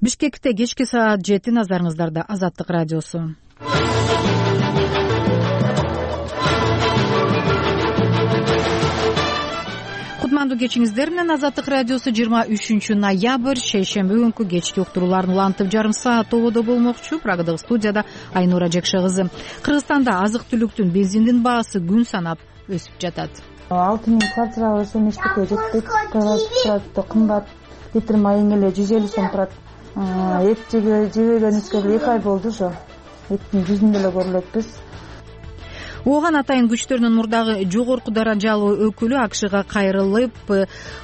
Бишкекте кечки саат 7 назарыңыздарда Азаттык радиосу. Кутмандуу кечиңиздер менен Азаттык радиосу 23 ноябрь шейшемби күнкү кечки уктурууларын улантып жарым саат тободо болмокчу. Прагадагы студияда Айнура Жекше кызы. Кыргызстанда азык-түлүктүн, бензиндин баасы күн санап өсүп жатат. 6000 квартирага ошо мектепке жеттик. Турат кымбат. Литр майың эле 150 сом турат. Эт жебегенибизге 2 ай болду ошо. Эттин жүзүндө эле көрүлөтпүз. Ооган атайын күчтөрүнүн мурдагы жогорку даражалуу өкүлү АКШга кайрылып,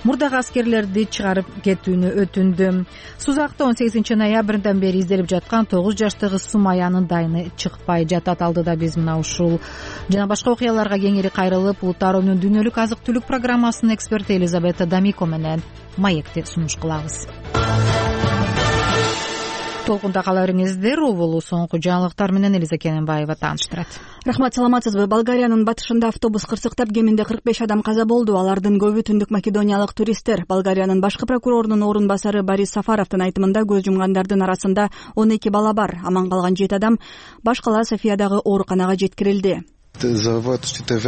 мурдагы аскерлерди чыгарып кетүүнү өтүндү. Сузакта 18 ноябрдан бери изделип жаткан 9 жаштагы Сумаянын дайыны чыкпай жатат. Алдыда биз мына ушул жана башка окуяларга кеңири кайрылып, Улуттарынын дүйнөлүк азык-түлүк программасынын эксперти Элизабета Дамико менен маекти сунуш кылабыз. Толкунда каларыңыздар, болуу соңку жаңылыктар менен Элиза Кененбаева тааныштырат. Рахмат, саламатсызбы? Болгариянын батышында автобус кырсыктап, кеминде 45 адам каза болду. Алардын көбү түндүк македониялык туристтер. Болгариянын башкы прокурорунун орун басары Борис Сафаровдун айтымында көз жумгандардын арасында 12 бала бар. Аман калган 7 адам башкала Софиядагы ооруканага жеткирилди. Кырсыктын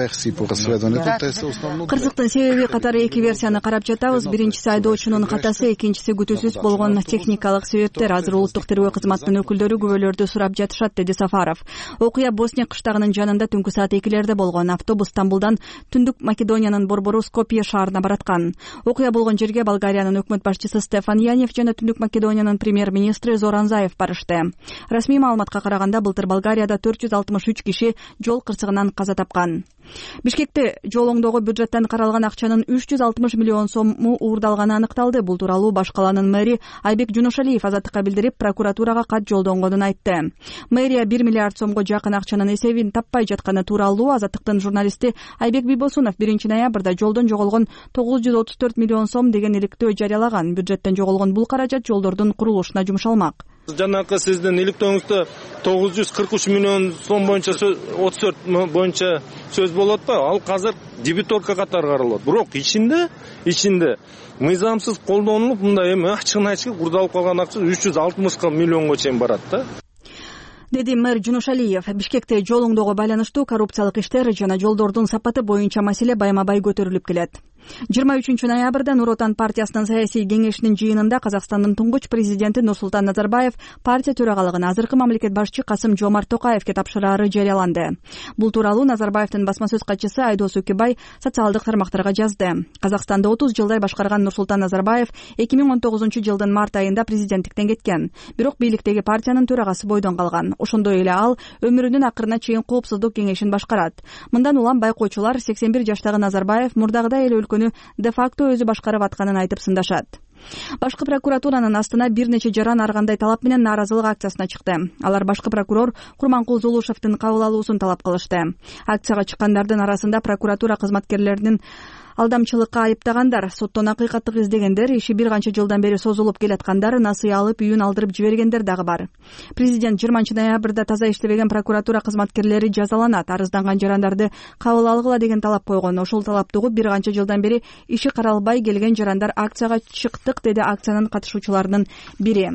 себеби катары 2 версияны карап жатабыз. Биринчиси айдоочунун катасы, экинчиси күтүүсүз болгон техникалык себептер. Азыр улуттук тергөө кызматынын өкүлдөрү күбөлөрдү сурап жатышат, деди Сафаров. Окуя Босния кыштагынын жанында түнкү саат 2-лерде болгон. Автобус Стамбулдан түндүк Македониянын борбору Скопье шаарына бараткан. Окуя болгон жерге Болгариянын өкмөт башчысы Стефан Янев жана түндүк Македониянын премьер-министри Зоран Заев барышты. Расмий маалыматка караганда былтыр Болгарияда 463 киши жол кырсыгынан каза тапкан. Бишкекте жол оңдоого бюджеттен каралган акчанын 360 миллион сому уурдалганы аныкталды. Бул тууралуу баш каланын мэри Айбек Жунушалиев Азаттыкка билдирип, прокуратурага кат жолдонгонун айтты. Мэрия 1 миллиард сомго жакын акчанын эсебин таппай жатканы тууралуу Азаттыктын журналисти Айбек Бийбосунов 1 ноябрда жолдон жоголгон 934 миллион сом деген иликтөө жарыялаган. Бюджеттен жоголгон бул каражат жолдордун курулушуна жумшалмак. Жанакы сиздин иликтөөңүздө 943 миллион сом боюнча 34 боюнча сөз болот да, ал казыр дебиторка катары каралат. Бирок ичинде мыйзамсыз колдонулуп, мындай эми ачыгын айтышып курдалып калган акча 360 миллионго чейин барат да. Деди мэр Жунушалиев. Бишкекте жол оңдоого байланыштуу коррупциялык иштер жана жолдордун сапаты боюнча маселе байма-бай көтөрүлүп келет. 23 ноябрда Нур Отан партиясынын саясий кеңешинин жыйынында Казакстандын туңгуч президенти Нурсултан Назарбаев партия төрагалыгын азыркы мамлекет башчы Касым-Жомарт Токаевке тапшырары жарыяланды. Бул тууралуу Назарбаевдин басма сөз катчысы Айдос Үкүбай социалдык тармактарга жазды. Казакстанды 30 жылдай башкарган Нурсултан Назарбаев 2019 жылдын март айында президенттиктен кеткен. Бирок бийликтеги партиянын төрагасы бойдон калган. Ошондой эле ал өмүрүнүн акырына чейин коопсуздук кеңешин башкарат. Мындан улам байкоочулар 81 жаштагы Назарбаев мурдагыдай эле өлкөнү де-факто өзү башкарып атканын айтып сындашат. Башкы прокуратуранын астына бир нече жаран ар кандай талап менен нааразылык акциясына чыкты. Алар башкы прокурор Курманкул Зулушевдин кабыл алуусун талап кылышты. Акцияга чыккандардын арасында прокуратура кызматкерлеринин алдамчылыкка айыптагандар, соттон акыйкаттык издегендер, иши бир канча жылдан бери созулуп келаткандар, насыя алып үйүн алдырып жибергендер дагы бар. Президент 20 ноябрда таза иштебеген прокуратура кызматкерлери жазаланат, арызданган жарандарды кабыл алгыла деген талап койгон. Ошол талапты угуп бир канча жылдан бери иши каралбай келген жарандар акцияга чыктык, деди акциянын катышуучуларынын бири.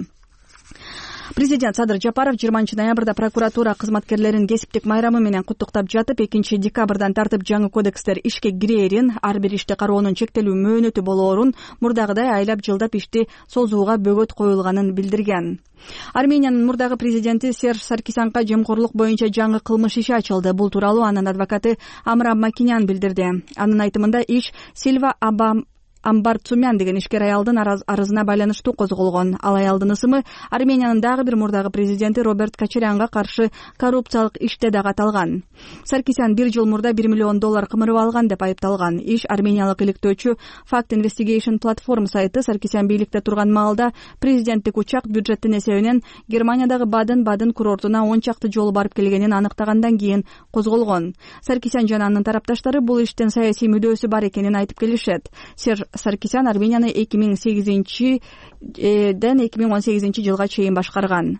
Президент Садыр Жапаров 20 ноябрда прокуратура кызматкерлерин кесиптик майрамы менен куттуктап жатып, 2 декабрдан тартып жаңы кодекстер ишке кирээрин, ар бир ишти кароонун чектелүү мөөнөтү болоорун, мурдагыдай айлап жылдап ишти созууга бөгөт коюлганын билдирген. Армениянын мурдагы президенти Серж Саркисянга жемкорлук боюнча жаңы кылмыш иши ачылды. Бул тууралуу анын адвокаты Амрам Макинян билдирди. Анын айтымында иш Сильва Амбар Цумян деген ишкер аялдын арызына байланыштуу козголгон. Ал аялдын ысымы Армениянын дагы бир мурдагы президенти Роберт Качарянга каршы коррупциялык иште дагы аталган. Саркисян 1 жыл мурда $1 миллион кымырып алган деп айыпталган. Иш армениялык иликтөөчү Fact Investigation Platform сайты Саркисян бийликте турган маалда президенттик учак бюджеттин эсебинен Германиядагы Баден курортуна 10 чакты жолу барып келгенин аныктагандан кийин козголгон. Саркисян жана анын тарапташтары бул иштен саясий мүдөөсү бар экенин айтып келишет. Саркисян Арменияны 2008-ден 2018 жылга чейин башкарган.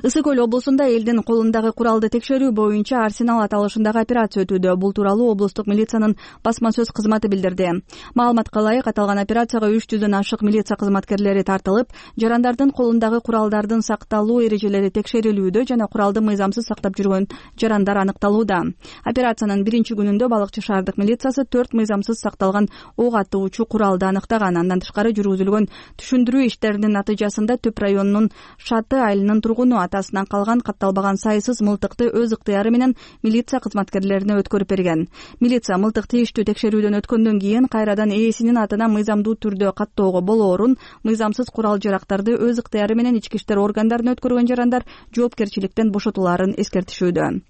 Ысык көл облусунда элдин колундагы куралды текшерүү боюнча Арсенал аталышындагы операция өтүүдө. Бул тууралуу облустук милициянын басма сөз кызматы билдирди. Маалыматка ылайык, аталган операцияга 300дөн ашык милиция кызматкерлери тартылып, жарандардын колундагы куралдардын сакталуу эрежелери текшерилүүдө жана куралды мыйзамсыз сактап жүргөн жарандар аныкталууда. Операциянын биринчи күнүндө Балыкчы шаардык милициясы 4 мыйзамсыз сакталган ок атуучу куралды аныктаган. Андан тышкары жүргүзүлгөн түшүндүрүү иштеринин натыйжасында Түп районунун Шаты айылынын тургуну атасынан калган катталбаган сайсыз мылтыкты өз ыктыяры менен милиция кызматкерлерине өткөрүп берген. Милиция мылтык тийиштүү текшерүүдөн өткөндөн кийин кайрадан ээсинин атына мыйзамдуу түрдө каттоого болоорун, мыйзамсыз курал жарактарды өз ыктыяры менен ички иштер органдарына өткөргөн жарандар жоопкерчиликтен бошотулаарын эскертишүүдө.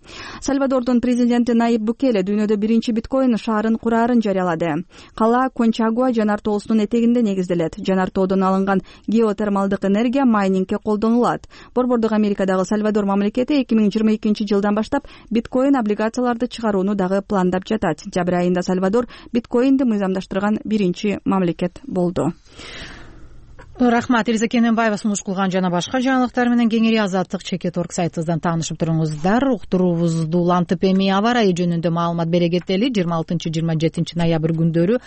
Сальвадордун президенти Найиб Букеле дүйнөдө биринчи биткоин шаарын кураарын жарыялады. Кала Кончагуа жанар тоосунун этегинде негизделет. Жанар тоодон алынган геотермалдык энергия майнингге колдонулат. Борбордук Америкадагы Сальвадор мамлекети 2022 жылдан баштап биткоин облигацияларды чыгарууну дагы пландап жатат. Жабыр айында Сальвадор биткоинди мыйзамдаштырган биринчи мамлекет болду. Рахмат. Элиза Кененбаева сунуш кылган жана башка жаңылыктар менен кеңири Азаттык Чекет.орг сайтыбыздан таанышып туруңуздар. Уктуруубузду улантып эми аба ырайы жөнүндө маалымат бере кетели. 26-27 ноябрь күндөрү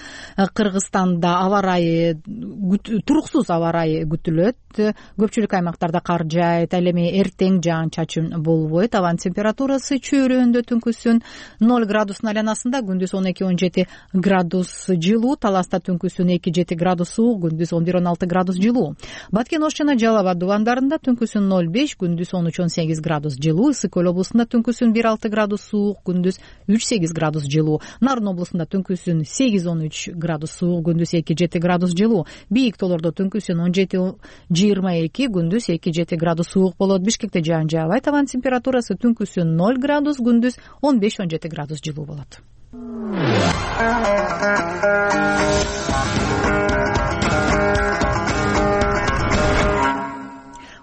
Кыргызстанда аба ырайы туруксуз аба ырайы күтүлөт. Көпчүлүк аймактарда кар жаайт, ал эми эртең жаан-чачын болбойт. Абанын температурасы чөйрөндө түнкүсүн 0 градустун айланасында, күндүз 12-17 градус жылуу, Таласта түнкүсүн 2-7 градус суук, күндүз 11-16 градус жылуу. Баткен Ош жана Жалал Абад дубандарында түнкүсүн 0,5, күндүз 13-18 градус жылуу. Ысык көл облусунда түнкүсүн 1,6 градус суук, күндүз 3,8 градус жылуу. Нарын облусунда түнкүсүн 8-13 градус суук, күндүз 2-7 градус жылуу. Бийик тоолордо түнкүсүн 17-22, күндүз 2-7 градус суук болот. Бишкекте жаан жаабайт. Абанын температурасы түнкүсүн 0 градус, күндүз 15-17 градус жылуу болот.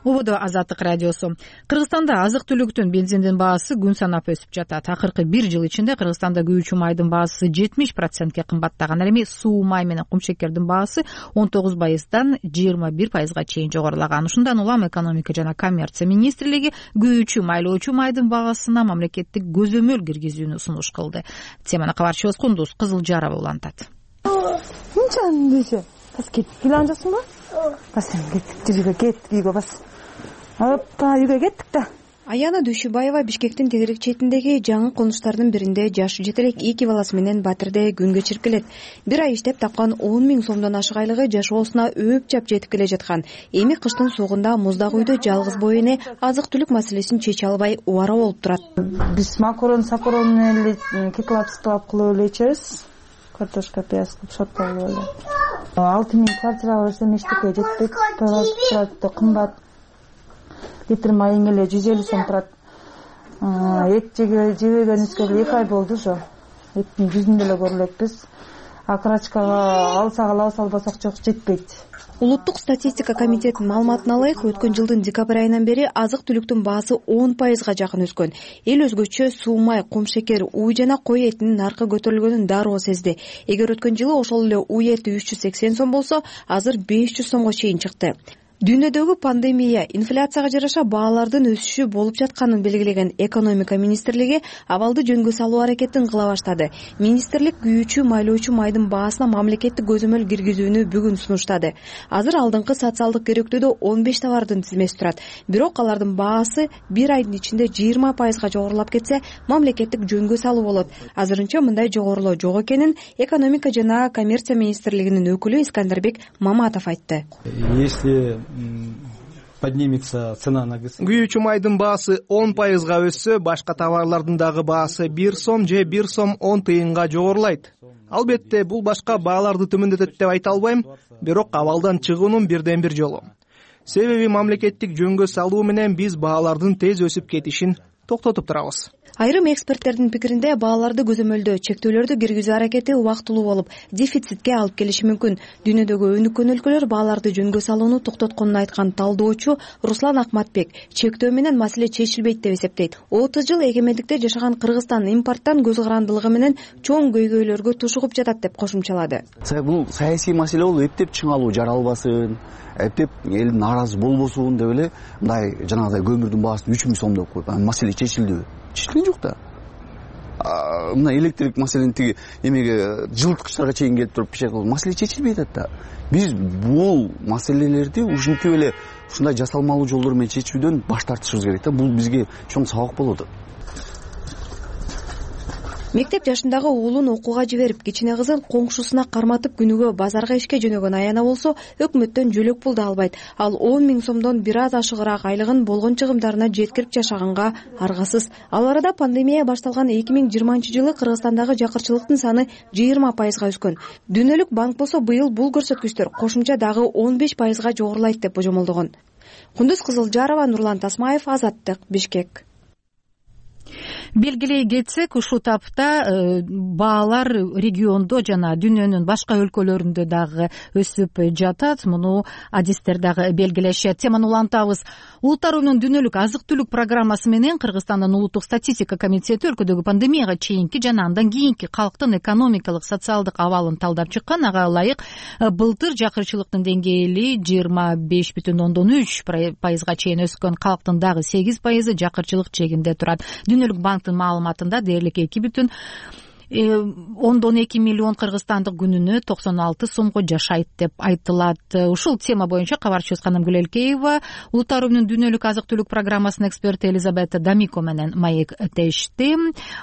Ободо Азаттык радиосу. Кыргызстанда азык-түлүктүн, бензиндин баасы күн санап өсүп жатат. Акыркы 1 жыл ичинде Кыргызстанда күйүүчү майдын баасы 70%ке кымбаттаган. Ал эми суу май менен кумшекердин баасы 19%дан 21%га чейин жогорулаган. Ушундан улам экономика жана коммерция министрлиги күйүүчү, майлоочу майдын баасына мамлекеттик көзөмөл киргизүүнү сунуш кылды. Теманы кабарчыбыз Кундуз Кызылжарова улантат. Мынча бас кеттик эле анжасыңбы? Бас кеттик, жүргө кеттик, үйгө бас. Апа, үйгө кеттик да. Аяна Дүйшүбаева Бишкектин тегерек четиндеги жаңы конуштардын биринде жашы жетелек 2 баласы менен Батирде күн кечирип келет. Бир ай иштеп тапкан 10 000 сомдон ашык айлыгы жашоосуна өп-жап жетип келе жаткан. Эми кыштын суугунда муздак үйдө жалгыз боо эне азык-түлүк маселесин чече албай убара болуп турат. Биз макарон менен эле кеклап кылып эле ичебиз. Картошка, пияз кылып шоттолуп эле. 6 000 квартирага берсем эчтеке жетпейт. Турат кымбат. Литр майың эле 150 сом турат. Эт жебегенибизге 2 ай болду уже. Эттин жүзүн деле көрө элекпиз. Акрачкага алсак албасак жок, жетпейт. Улуттук статистика комитетинин маалыматына ылайык, өткөн жылдын декабрь айынан бери азык-түлүктүн баасы 10%га жакын өскөн. Эл өзгөчө суу май, кумшекер, уй жана кой этинин наркы көтөрүлгөнүн дароо сезди. Эгер өткөн жылы ошол эле уй эти 380 сом болсо, азыр 500 сомго чейин чыкты. Дүйнөдөгү пандемия, инфляцияга жараша баалардын өсүшү болуп жатканын белгилеген экономика министрлиги абалды жөнгө салуу аракетин кыла баштады. Министрлик күйүүчү, майлоочу майдын баасына мамлекеттик көзөмөл киргизүүнү бүгүн сунуштады. Азыр алдыңкы социалдык керектүүдө 15 товардын тизмеси турат. Бирок алардын баасы 1 айдын ичинде 20%га жогорулап кетсе, мамлекеттик жөнгө салуу болот. Азырынча мындай жогорулоо жок экенин экономика жана коммерция министрлигинин өкүлү Искандербек Маматов айтты. Если поднимется цена на ГС. Күйүүчү майдын баасы 10%га өссө, башка товарлардын дагы баасы 1 сом же 1 сом 10 тыйынга жогорулайт. Албетте, бул башка бааларды төмөндөтөт деп айта албайм, бирок абалдан чыгуунун бирден бир жолу. Себеби мамлекеттик жөнгө салуу менен биз баалардын тез өсүп кетишин токтотуп турабыз. Айрым эксперттердин пикиринде бааларды көзөмөлдөө чектөөлөрдү киргизүү аракети убактылуу болуп, дефицитке алып келиши мүмкүн. Дүйнөдөгү өнүккөн өлкөлөр бааларды жөнгө салууну токтотконун айткан талдоочу Руслан Акматбек чектөө менен маселе чечилбейт деп эсептейт. 30 жыл эгемендикте жашаган Кыргызстан импорттон көз карандылыгы менен чоң көйгөйлөргө тушугуп жатат деп кошумчалады. Бул саясий маселе болуп, эптеп чыңалуу жаралбасын, эптеп эл нааразы болбосун деп эле мындай жанагыдай көмүрдүн баасын 3000 сом деп коюп анан маселе чечилдиби? Чечилген жок да. Мына электрик маселени тиги эмеге жылыткычтарга чейин келип туруп пишет кылып маселе чечилбей атат да. Биз бул маселелерди ушинтип эле ушундай жасалмалуу жолдор менен чечүүдөн баш тартышыбыз керек да. Бул бизге чоң сабак болот. Мектеп жашындагы уулун окууга жиберип, кичине кызын коңшусуна карматып күнүгө базарга ишке жөнөгөн аяна болсо, өкмөттөн жөлөк пул да албайт. Ал 10 000 сомдон бир аз ашыгыраак айлыгын болгон чыгымдарына жеткирип жашаганга аргасыз. Ал арада пандемия башталган 2020-жылы Кыргызстандагы жакырчылыктын саны 20%га өскөн. Дүйнөлүк банк болсо быйыл бул көрсөткүчтөр кошумча дагы 15%га жогорулайт деп божомолдогон. Кундуз Кызылжарова, Нурлан Тасмаев, Азаттык, Бишкек. Белгилей кетсек, ушул тапта баалар региондо жана дүйнөнүн башка өлкөлөрүндө дагы өсүп жатат. Муну адистер дагы белгилешет. Теманы улантабыз. Улуттарынын дүйнөлүк азык-түлүк программасы менен Кыргызстандын улуттук статистика комитети өлкөдөгү пандемияга чейинки жана андан кийинки калктын экономикалык, социалдык абалын талдап чыккан. Ага ылайык былтыр жакырчылыктын деңгээли 25,3%га чейин өскөн. Калктын дагы 8% жакырчылык чегинде турат. Дүйнөлүк банктын маалыматында дээрлик 2,2 миллион кыргызстандык күнүнө 96 сомго жашайт деп айтылат. Ушул тема боюнча кабарчыбыз Канымгүл Элкеева Улуттарынын дүйнөлүк азык-түлүк программасынын эксперти Элизабета Дамико менен маектешти.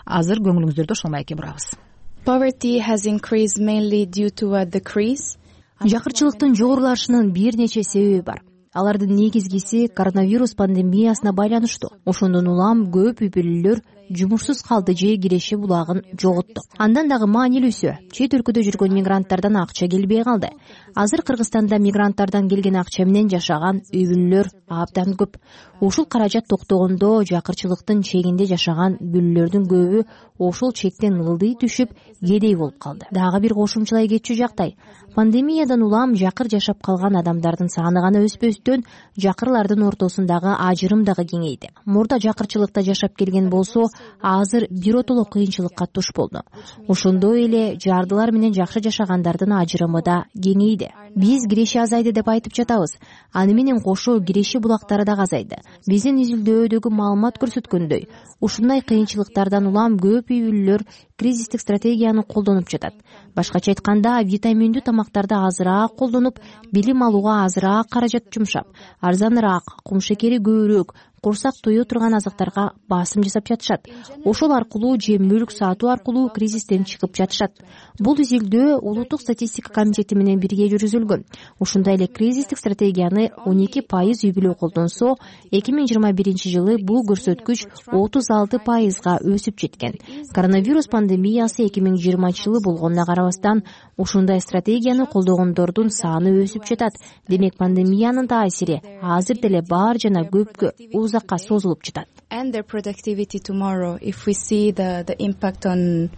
Азыр көңүлүңүздөрдү ошол маекке бурабыз. Poverty has increased mainly due to a decrease. Жакырчылыктын жогорулашынын бир нече себеби бар. Алардын негизгиси коронавирус пандемиясына байланыштуу. Ошондон улам көп үй бүлөлөр жумушсуз калды же киреше булагын жоготту. Андан дагы маанилүүсү, чет өлкөдө жүргөн мигранттардан акча келбей калды. Азыр Кыргызстанда мигранттардан келген акча менен жашаган үй бүлөлөр абдан көп. Ушул каражат токтогондо жакырчылыктын чегинде жашаган бүлөлөрдүн көбү ошол чектен ылдый түшүп, кедей болуп калды. Дагы бир кошумчалай кетчү жактай. Пандемиядан улам жакыр жашап калган адамдардын саны гана өспөстөн, жакырлардын ортосундагы ажырым дагы кеңейди. Мурда жакырчылыкта жашап келген болсо, азыр биротоло кыйынчылыкка туш болду. Ошондой эле жардылар менен жакшы жашагандардын ажырымы да кеңейди. Биз киреше азайды деп айтып жатабыз. Аны менен кошо киреше булактары да азайды. Биздин изилдөөдөгү маалымат көрсөткөндөй, ушундай кыйынчылыктардан улам көп үй бүлөлөр кризистик стратегияны колдонуп жатат. Башкача айтканда, витаминдүү тамактарды азыраак колдонуп, билим алууга азыраак каражат жумшап, арзаныраак, кум шекери көбүрөөк, курсак тое турган азыктарга басым жасап жатышат. Ошол аркылуу же мүлк сатуу аркылуу кризистен чыгып жатышат. Бул изилдөө улуттук статистика комитети менен бирге жүргүзүлгөн. Ушундай эле кризистик стратегияны 12% үй бүлө колдонсо, 2021-жылы бул көрсөткүч 36%га өсүп жеткен. Коронавирус пандемиясы 2020-жылы болгонуна карабастан, ушундай стратегияны колдогондордун саны өсүп жатат. Демек, пандемиянын таасири азыр деле бар жана көпкө узакка созулуп жатат. And their productivity tomorrow, if we see the impact on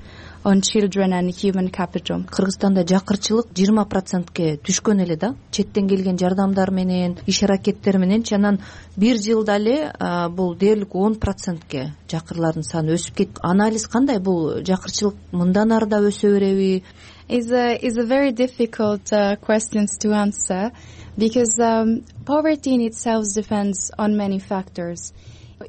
children and human capital. Кыргызстанда жакырчылык 20%ке түшкөн эле да. Четтен келген жардамдар менен, иш аракеттер менен анан бир жылда эле бул дээрлик 10%ке жакырлардын саны өсүп кетти. Анализ кандай? Бул жакырчылык мындан ары да өсө береби? Is a very difficult questions to answer because poverty in itself depends on many factors.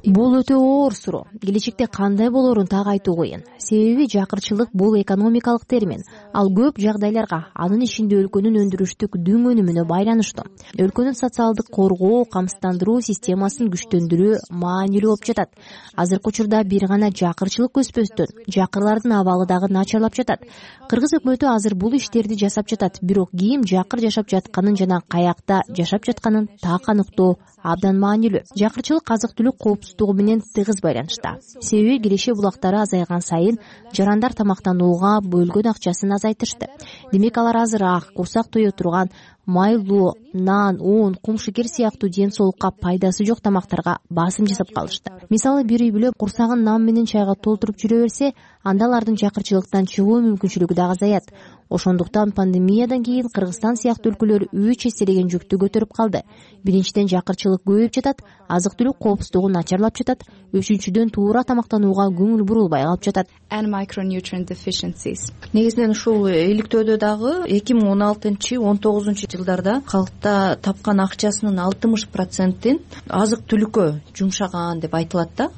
Бул өтө оор суроо. Келечекте кандай болорун так айтуу кыйын. Себеби жакырчылык бул экономикалык термин. Ал көп жагдайларга, анын ичинде өлкөнүн өндүрүштүк дүң өнүмүнө байланыштуу. Өлкөнүн социалдык коргоо, камсыздандыруу системасын күчтөндүрүү маанилүү болуп жатат. Азыркы учурда бир гана жакырчылык өспөстөн, жакырлардын абалы дагы начарлап жатат. Кыргыз өкмөтү азыр бул иштерди жасап жатат, бирок ким жакыр жашап жатканын жана каякта жашап жатканын так аныктоо абдан маанилүү. Жакырчылык азык-түлүк коопсуздугу менен тыгыз байланышта. Себеби киреше булактары азайган сайын жарандар тамактанууга бөлгөн акчасын азайтышты. Демек, алар азыраак курсак тое турган майлуу, нан, un, кум шекер сыяктуу ден соолукка пайдасы жок тамактарга басым жасап калышты. Мисалы, бир үй бүлө курсагын нан менен чайга толтуруп жүрө берсе, анда алардын жакырчылыктан чыгуу мүмкүнчүлүгү да азаят. Ошондуктан пандемиядан кийин Кыргызстан сыяктуу өлкөлөр 3 эселеген жүктү көтөрүп калды. Биринчиден, жакырчылык көбөйүп жатат, азык-түлүк коопсуздугу начарлап жатат. Үчүнчүдөн, туура тамактанууга көңүл бурулбай калып жатат. And micronutrient deficiencies. Негизинен ушул иликтөөдө дагы 2016-19 жылдарда калкта тапкан акчасынын 60%-ин азык түлүккө жумшаган деп айтылат да.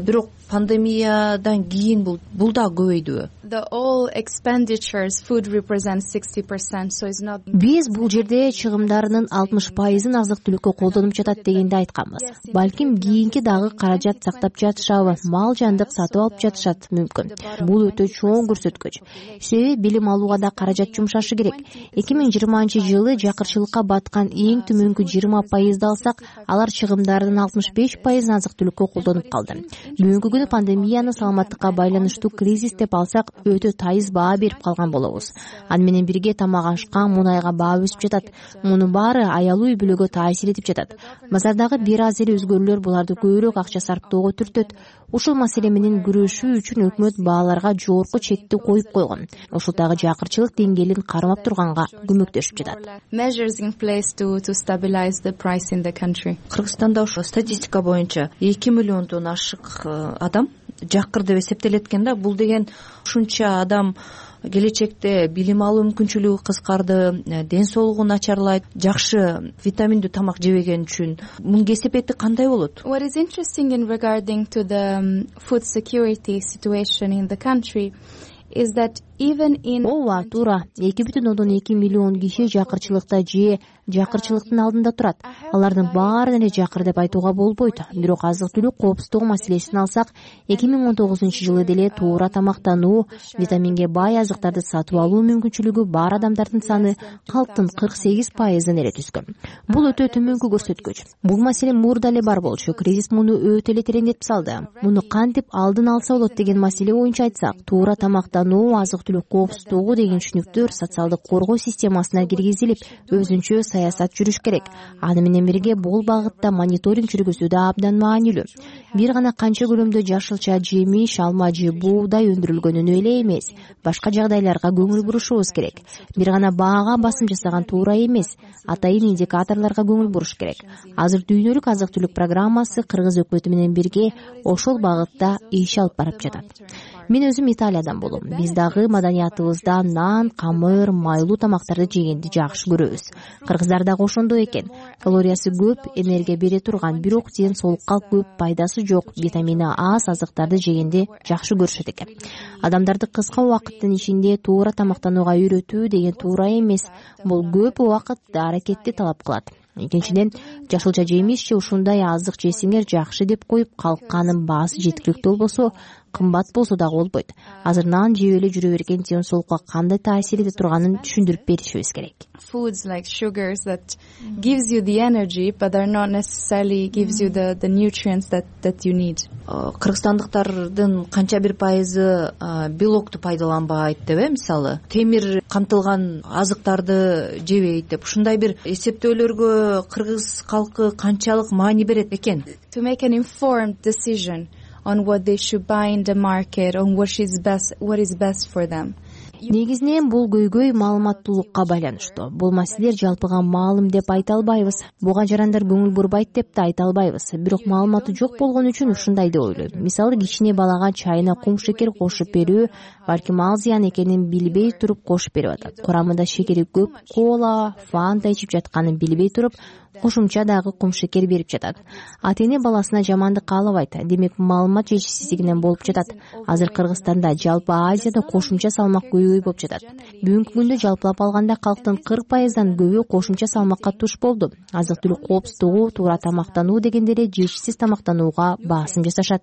Бирок пандемиядан кийин бул да көбөйдүбү? Биз бул жерде чыгымдарынын 60%-ын азык түлүккө колдонуп жатат дегенди айтканбыз. Балким кийинки дагы каражат сактап жатышабы, мал жандык сатып алып жатышат мүмкүн. Бул өтө чоң көрсөткүч. Себеби билим алууга да каражат жумшашы керек. 2020-жылы жакырчылыкка баткан эң төмөнкү 20%-ды алсак, алар чыгымдарынын 65%-ын азык түлүккө колдонуп калды. Бүгүнкү күнү пандемияны саламаттыкка байланыштуу кризис деп алсак, өтө тайыз баа берип калган болобуз. Аны менен бирге тамак ашка, мунайга баа өсүп жатат. Мунун баары аялуу үй-бүлөгө таасир этип жатат. Базардагы бир аз эле өзгөрүүлөр буларды көбүрөөк акча сарптоого түртөт. Ушул маселе менен күрөшүү үчүн өкмөт бааларга жогорку чекти коюп койгон. Ушул дагы жакырчылык деңгээлин кармап турганга көмөктөшүп жатат. Кыргызстанда ошо статистика боюнча 2 миллиондон ашык адам жакыр деп эсептелет экен да. Бул деген ушунча адам келечекте билим алуу мүмкүнчүлүгү кыскарды, ден соолугу начарлайт, жакшы витаминдүү тамак жебеген үчүн. Мунун кесепети кандай болот? What is interesting in regarding to the food security situation in the country is that even in Ооба, туура. 2,2 миллион киши жакырчылыкта же жакырчылыктын алдында турат. Алардын баарын эле жакыр деп айтууга болбойт. Бирок азык түлүк коопсуздугу маселесин алсак, 2019-жылы деле туура тамактануу, витаминге бай азыктарды сатып алуу мүмкүнчүлүгү бар адамдардын саны калктын 48%-ын эле түзгөн. Бул өтө төмөнкү көрсөткүч. Бул маселе мурда эле бар болчу. Кризис муну өтө эле тереңдетип салды. Муну кантип алдын алса болот деген маселе боюнча айтсак, туура тамактануу, азык түлүк коопсуздугу деген түшүнүктөр социалдык коргоо системасына киргизилип, өзүнчө саясат жүрүш керек. Аны менен бирге бул багытта мониторинг жүргүзүү да абдан маанилүү. Бир гана канча көлөмдө жашылча жемиш, алма же буудай өндүрүлгөнүнө эле эмес, башка жагдайларга көңүл бурушубуз керек. Бир гана баага басым жасаган туура эмес, атайын индикаторлорго көңүл буруш керек. Азыр дүйнөлүк азык түлүк программасы Кыргыз өкмөтү менен бирге ошол багытта иш алып барып жатат. Мен өзүм Италиядан болом. Биз дагы маданиятыбызда нан, камыр, майлуу тамактарды жегенди жакшы көрөбүз. Кыргыздар дагы ошондой экен. Калориясы көп, энергия бере турган, бирок ден соолукка көп пайдасы жок, витамини аз азыктарды жегенди жакшы көрүшөт экен. Адамдарды кыска убакыттын ичинде туура тамактанууга үйрөтүү деген туура эмес. Бул көп убакыт аракетти талап кылат. Экинчиден, жашылча жемиш же ушундай азык жесеңер жакшы деп коюп калканын баасы жеткиликтүү болбосо, кымбат болсо дагы болбойт. Азыр нан жеп эле жүрө берген ден соолукка кандай таасир эте турганын түшүндүрүп беришибиз керек. Foods like sugars that gives you the energy but are not necessarily gives you the nutrients that you need. Кыргызстандыктардын канча бир пайызы белокту пайдаланбайт деп, мисалы, темир камтылган азыктарды жебейт деп. Ушундай бир эсептөөлөргө кыргыз калкы канчалык маани берет экен? To make an informed decision on what they should buy in the market, on what is best for them. Негизинен бул көйгөй маалыматтуулукка байланыштуу. Бул маселелер жалпыга маалым деп айта албайбыз. Буга жарандар көңүл бурбайт деп да айта албайбыз. Бирок маалыматы жок болгон үчүн ушундай деп ойлойм. Мисалы, кичине балага чайына кум шекер кошуп берүү, балким ал зыян экенин билбей туруп кошуп берип атат. Курамында шекери көп кола, фанта ичип жатканын билбей туруп, кошумча дагы кум шекер берип жатат. Ата-эне баласына жамандык каалабайт. Демек, маалымат жетишсиздигинен болуп жатат. Азыр Кыргызстанда, жалпы Азияда кошумча салмак көбөй болуп жатат. Бүгүнкү күндө жалпылап алганда калктын 40%-дан көбү кошумча салмакка туш болду. Азык түлүк коопсуздугу, туура тамактануу дегендери жешсиз тамактанууга басым жасашат.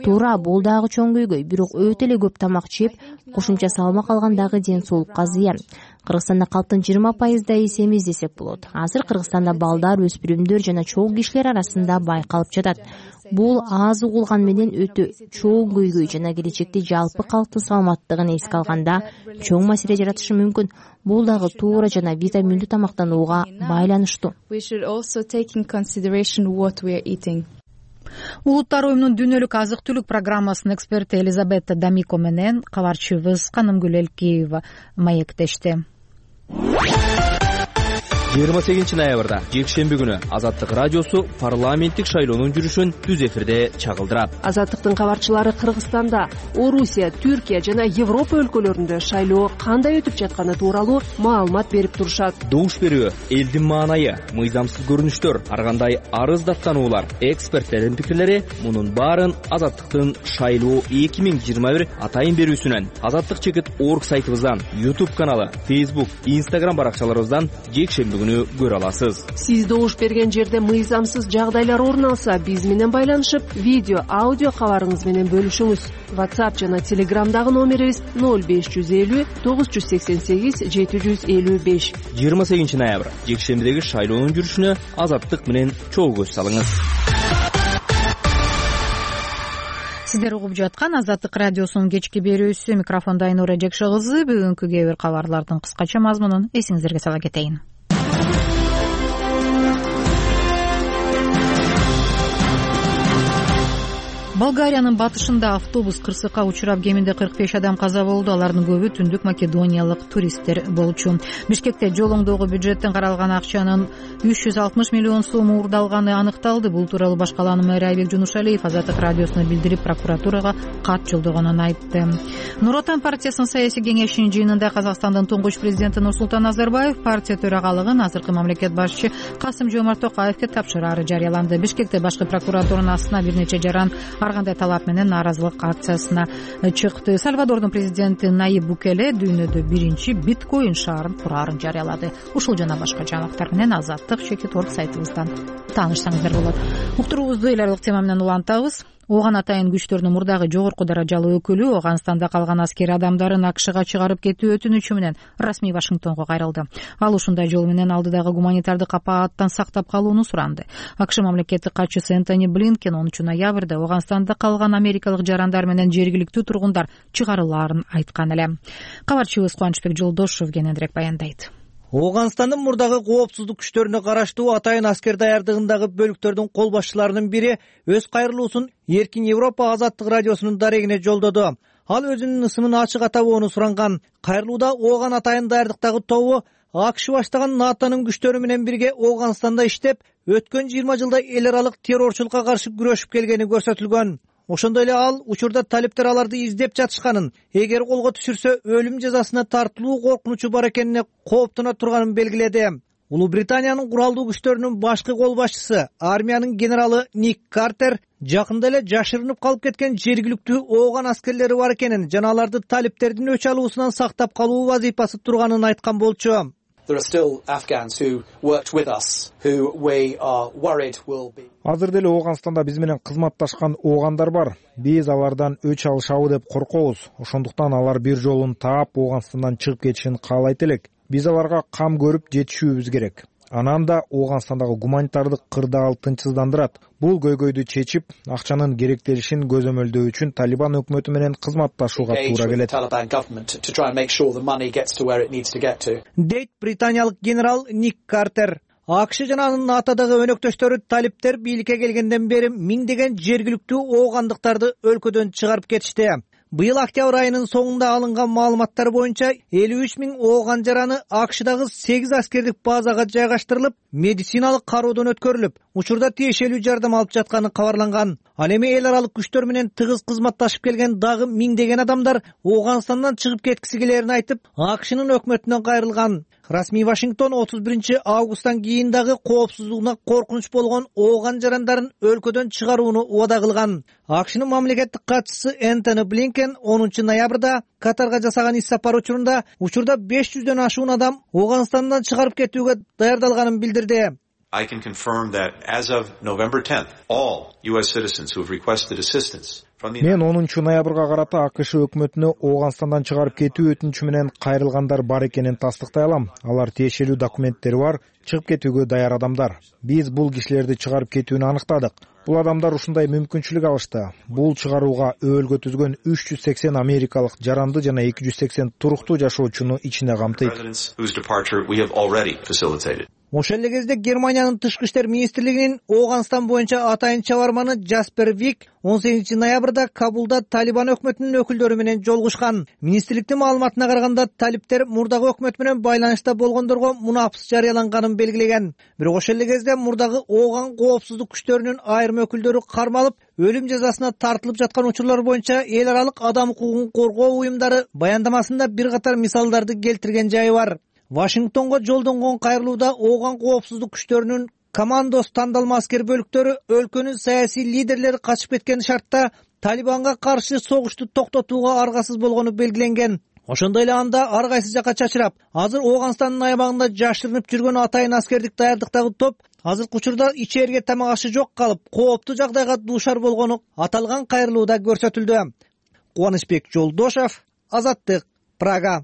Туура, бул дагы чоң көйгөй, бирок өтө эле көп тамак жеп, кошумча салмак алган дагы ден соолукка зыян. Кыргызстанда калктын 20%-да эсемиз десек болот. Азыр Кыргызстанда балдар, өспүрүмдөр жана чоң кишилер арасында байкалып жатат. Бул аз угулган менен өтө чоң көйгөй жана келечекте жалпы калктын саламаттыгын эске алганда чоң маселе жаратышы мүмкүн. Бул дагы туура жана витаминдүү тамактанууга байланыштуу. Улуттар уюмунун дүйнөлүк азык түлүк программасынын эксперти Элизабета Дамико менен кабарчыбыз Канымгүл Элкиева маектешти. 28 жекшемби күнү Азаттык радиосу парламенттик шайлоонун жүрүшүн түз эфирде чагылдырат. Азаттыктын кабарчылары Кыргызстанда, Орусия, Түркия жана Европа өлкөлөрүндө шайлоо кандай өтүп жатканы тууралуу маалымат берип турушат. Добуш берүү, элдин маанайы, мыйзамсыз көрүнүштөр, ар кандай арыз даттануулар, эксперттердин пикирлери мунун баарын Азаттыктын шайлоо 2021 атайын берүүсүнөн, Азаттык чекит орг сайтыбыздан, YouTube каналы, Facebook, Instagram баракчаларыбыздан жекшемби күнү көрө аласыз. Сиз добуш берген жерде мыйзамсыз жагдайлар орун алса, биз менен байланышып, видео, аудио кабарыңыз менен бөлүшүңүз. WhatsApp жана Telegramдагы номерибиз 0550 988 755. 28 ноябрь жекшембидеги шайлоонун жүрүшүнө Азаттык менен чогуу көз салыңыз. Сиздер угуп жаткан Азаттык радиосунун кечки берүүсү. Микрофондо Айнура Жекше кызы. Бүгүнкү кээ бир кабарлардын кыскача мазмунун эсиңиздерге сала кетейин. Болгариянын батышында автобус кырсыкка учурап, кеминде 45 адам каза болду. Алардын көбү түндүк македониялык туристтер болчу. Бишкекте жол оңдоого бюджеттен каралган акчанын 360 миллион сом уурдалганы аныкталды. Бул тууралуу баш калаанын мэрі Айбек Жунушалиев Азаттык радиосуна билдирип, прокуратурага кат жолдогонун айтты. Нур Отан партиясынын саясий кеңешинин жыйынында Казакстандын туңгуч президенти Нурсултан Назарбаев партия төрагалыгын азыркы мамлекет башчы Касым-Жомарт Токаевге тапшырары жарыяланды. Бишкекте башкы прокуратуранын астына бир нече жаран ар кандай талап менен нааразылык акциясына чыкты. Сальвадордун президенти Наиб Букеле дүйнөдө биринчи биткоин шаарын кураарын жарыялады. Ушул жана башка жаңылыктар менен Азаттык чекит орг сайтыбыздан таанышсаңыздар болот. Уктуруубузду эл аралык тема менен улантабыз. Ооган атайын күчтөрүнүн мурдагы жогорку даражалуу өкүлү Ооганстанда калган аскер адамдарын АКШга чыгарып кетүү өтүнүчү менен расмий Вашингтонго кайрылды. Ал ушундай жол менен алдыдагы гуманитардык апааттан сактап калууну суранды. АКШ мамлекеттик катчысы Энтони Блинкен 10 ноябрда Ооганстанда калган америкалык жарандар менен жергиликтүү тургундар чыгарылаарын айткан эле. Кабарчыбыз Кубанычбек Жолдошов кененирээк баяндайт. Ооганстандын мурдагы коопсуздук күчтөрүнө караштуу атайын аскер даярдыгындагы бөлүктөрдүн кол башчыларынын бири өз кайрылуусун Эркин Европа Азаттык радиосунун дарегине жолдоду. Ал өзүнүн ысымын ачык атабоону суранган. Кайрылууда Ооган атайын даярдыктагы тобу АКШ баштаган НАТОнун күчтөрү менен бирге Ооганстанда иштеп, өткөн 20 жылда эл аралык террорчулукка каршы күрөшүп келгени көрсөтүлгөн. Ошондой эле ал учурда талиптер аларды издеп жатышканын, эгер колго түшүрсө өлүм жазасына тартылуу коркунучу бар экенине кооптоно турганын белгиледи. Улуу Британиянын куралдуу күчтөрүнүн башкы кол башчысы, армиянын генералы Ник Картер жакында эле жашырынып калып кеткен жергиликтүү Ооган аскерлери бар экенин жана аларды талиптердин өч алуусунан сактап калуу вазифасы турганын айткан болчу. Азыр деле Ооганстанда биз менен кызматташкан оогандар бар. Биз алардан өч алышабы деп коркобуз. Ошондуктан алар бир жолун таап Ооганстандан чыгып кетишин каалайт элек. Биз аларга кам көрүп жетишүүбүз керек. Анан да Ооганстандагы гуманитардык кырдаал тынчсыздандырат. Бул көйгөйдү чечип, акчанын керектелишин көзөмөлдөө үчүн Талибан өкмөтү менен кызматташууга туура келет. Дейт британиялык генерал Ник Картер. АКШ жана анын НАТОдогу өнөктөштөрү талиптер бийликке келгенден бери миңдеген жергиликтүү оогандыктарды өлкөдөн чыгарып кетишти. Быйыл октябрь айынын соңунда алынган маалыматтар боюнча 53 000 ооган жараны АКШдагы 8 аскердик базага жайгаштырылып, медициналык кароодон өткөрүлүп, учурда тиешелүү жардам алып жатканы кабарланган. Ал эми эл аралык күчтөр менен тыгыз кызматташып келген дагы миңдеген адамдар Ооганстандан чыгып кеткиси келерин айтып, АКШнын өкмөтүнөн кайрылган. Расмий Вашингтон 31 августтан кийин дагы коопсуздугуна коркунуч болгон ооган жарандарын өлкөдөн чыгарууну убада кылган. АКШнын мамлекеттик катчысы Энтони Блинкен 10 ноябрда Катарга жасаган ис сапар учурунда 500дөн ашуун адам Ооганстандан чыгарып кетүүгө даярдалганын билдирди. I can confirm that as of November 10th, all U.S. citizens who have requested assistance from the Мен 10 ноябрга карата АКШ өкмөтүнө Ооганстандан чыгарып кетүү өтүнүчү менен кайрылгандар бар экенин тастыктай алам. Алар тиешелүү документтери бар, чыгып кетүүгө даяр адамдар. Биз бул кишилерди чыгарып кетүүнү аныктадык. Бул адамдар ушундай мүмкүнчүлүк алышты. Бул чыгарууга өбөлгө түзгөн 380 америкалык жаранды жана 280 туруктуу жашоочуну ичине камтыйт. Ошол эле кезде Германиянын тышкы иштер министрлигинин Ооганстан боюнча атайын чабарманы Джаспер Вик 18 ноябрда Кабулда Талибан өкмөтүнүн өкүлдөрү менен жолугушкан. Министрликтин маалыматына караганда, талиптер мурдагы өкмөт менен байланышта болгондорго мунапс жарыяланганын белгилеген. Бирок ошол эле кезде мурдагы Ооган коопсуздук күчтөрүнүн айрым өкүлдөрү кармалып, өлүм жазасына тартылып жаткан учурлар боюнча эл аралык адам укугун коргоо уюмдары баяндамасында бир катар мисалдарды келтирген жайы бар. Вашингтонго жолдонгон кайрылууда Ооган коопсуздук күчтөрүнүн командос тандалма аскер бөлүктөрү өлкөнүн саясий лидерлери качып кеткен шартта Талибанга каршы согушту токтотууга аргасыз болгону белгиленген. Ошондой эле анда ар кайсы жакка чачырап, азыр Ооганстандын аябагында жашырынып жүргөн атайын аскердик даярдыктагы топ азыркы учурда ичээрге тамак ашы жок калып, кооптуу жагдайга дуушар болгону аталган кайрылууда көрсөтүлдү. Кубанычбек Жолдошов, Азаттык, Прага.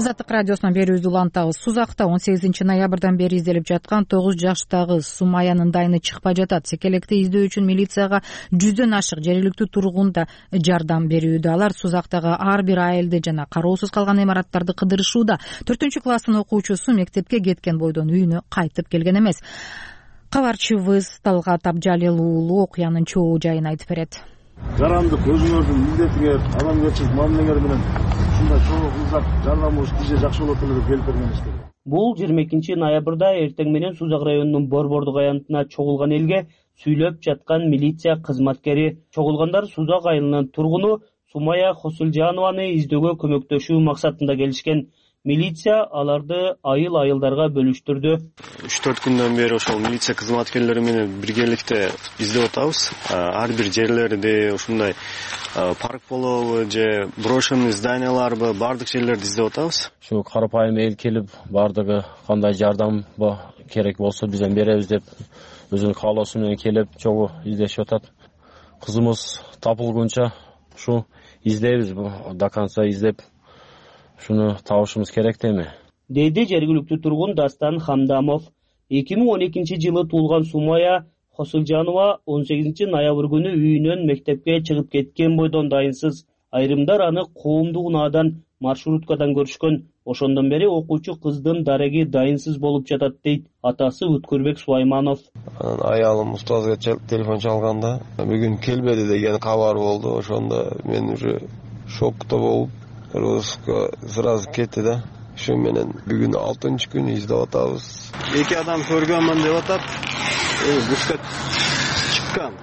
Азаттык радиосунан берүүбүздү улантабыз. Сузакта 18 ноябрдан бери изделип жаткан 9 жаштагы Сумаянын дайыны чыкпай жатат. Секелекти издөө үчүн милицияга 100дөн ашык жергиликтүү тургун да жардам берүүдө. Алар Сузактагы ар бир айылды жана кароосуз калган имараттарды кыдырышууда. 4-класстын окуучусу мектепке кеткен бойдон үйүнө кайтып келген эмес. Кабарчыбыз Талгат Абжалил уулу окуянын чоо жайын айтып берет. Жаранды көзүңөрдүн милдетиңер, адамгерчилик мамилеңер менен ушундай чогуу кылсак жардамыбыз тиже жакшы болот эле деп келтиргенибиз керек. Бул 22 ноябрда эртең менен Сузак районунун Борбордук аянтына чогулган элге сүйлөп жаткан милиция кызматкери. Чогулгандар Сузак айылынын тургуну Сумая Хосулжанованы издөөгө көмөктөшүү максатында келишкен. Милиция аларды айыл-айылдарга бөлүштүрдү. 3-4 күндөн бери ошол милиция кызматкерлери менен биргеликте издеп атабыз. Ар бир жерлерди, ушундай парк болобу же брошенный зданияларбы, бардык жерлерди издеп атабыз. Ушу карапайым эл келип, бардыгы кандай жардам керек болсо бизден беребиз деп өзүнүн каалоосу менен келип, чогуу издешип атат. Кызымыз тапылгунча ушу издейбиз, до конца издеп шуну табышыбыз керек деме, деди жергиликтүү тургун Дастан Хамдамов. 2012 жылы туулган Сумая Хосулжанова 18 ноябрь күнү үйүнөн мектепке чыгып кеткен бойдон дайынсыз. Айрымдар аны коомдук унаадан маршруткадан көрүшкөн. Ошондон бери окуучу кыздын дареги дайынсыз болуп жатат дейт атасы Өткөрбек Сулайманов. Аялым устазга телефон чалганда бүгүн келбеди деген кабар болду. Ошондо мен уже шокто болуп Руско сразу кетти да. Ошо менен бүгүн 6-күн издеп атабыз. Эки адам көргөнмүн деп атат.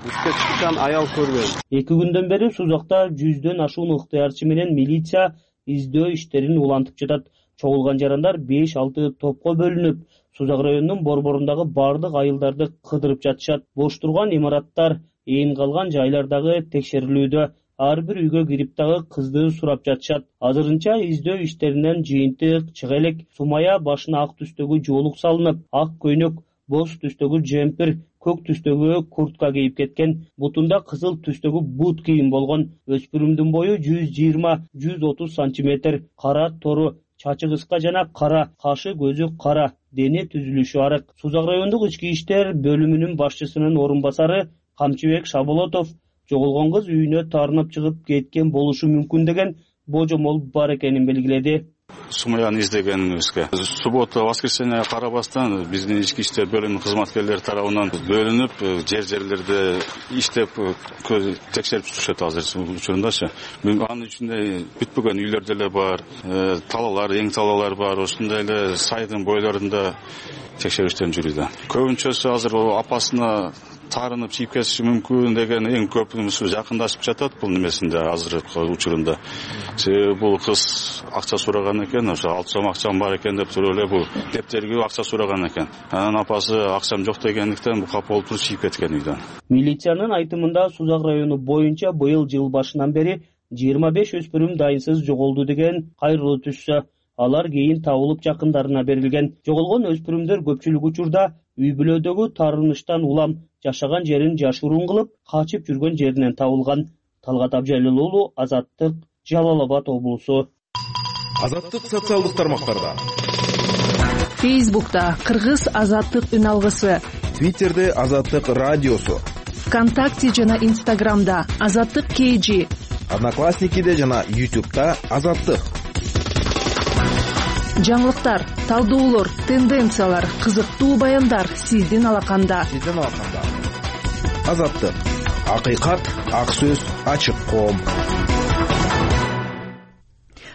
Бушка чыккан аял көргөн. 2 күндөн бери Сузакта 100дөн ашуун ыктыярчы менен милиция издөө иштерин улантып жатат. Чогулган жарандар 5-6 топко бөлүнүп, Сузак районунун борборундагы бардык айылдарды кыдырып жатышат. Бош турган имараттар, ээн калган жайлардагы текшерилүүдө. Ар бир үйгө кирип дагы кызды сурап жатышат. Азырынча издөө иштеринен жыйынтык чыга элек. Сумая башына ак түстөгү жоолук салынып, ак көйнөк, боз түстөгү джемпер, көк түстөгү куртка кийип кеткен. Бутунда кызыл түстөгү бут кийим болгон. Өспүрүмдүн бою 120-130 сантиметр, кара тору, чачы кыска жана кара, кашы көзү кара, дене түзүлүшү арык. Сузак райондук ички иштер бөлүмүнүн башчысынын орун басары Камчыбек Шаболотов жоголгон кыз үйүнө таарынып чыгып кеткен болушу мүмкүн деген божомол бар экенин белгиледи. Сумаяны издегенибизге суббота, воскресенье карабастан биздин ички иштер бөлүмүнүн кызматкерлери тарабынан бөлүнүп, жерлерде иштеп текшерип жүрүшөт азыр учурундачы. Анын ичинде бүтпөгөн үйлөр деле бар, талаалар, эң талаалар бар, ошондой эле сайдын бойлорунда текшериштерин жүрүүдө. Көбүнчөсү азыр апасына таарынып чийип кетиши мүмкүн деген эң көпүнүсү жакындашып жатат бул немесинде азыркы учурунда. Себеби бул кыз акча сураган экен, ошо 6 сом акчам бар экен деп туруп эле бул дептерге акча сураган экен. Анан апасы акчам жок дегендиктен бул капа болуп туруп чийип кеткен үйдөн. Милициянын айтымында Сузак району боюнча быйыл жыл башынан бери 25 өспүрүм дайынсыз жоголду деген кайрылуу түшсө, алар кийин табылып жакындарына берилген. Жоголгон өспүрүмдөр көпчүлүк учурда үй бүлөдөгү таарыныштан улам жашаган жерин жашыруун кылып, качып жүргөн жеринен табылган. Талгат Абжалил уулу, Азаттык, Жалал Абад облусу. Азаттык социалдык тармактарда. Фейсбукта Кыргыз Азаттык үн алгысы. Твиттерде Азаттык радиосу. ВКонтакте жана Инстаграмда Азаттык KG, Одноклассникиде жана YouTube'да Азаттык. Жаңылыктар, талдоолор, тенденциялар, кызыктуу баяндар сиздин алаканда. Азаттык. Акыйкат, ак сөз, ачык коом.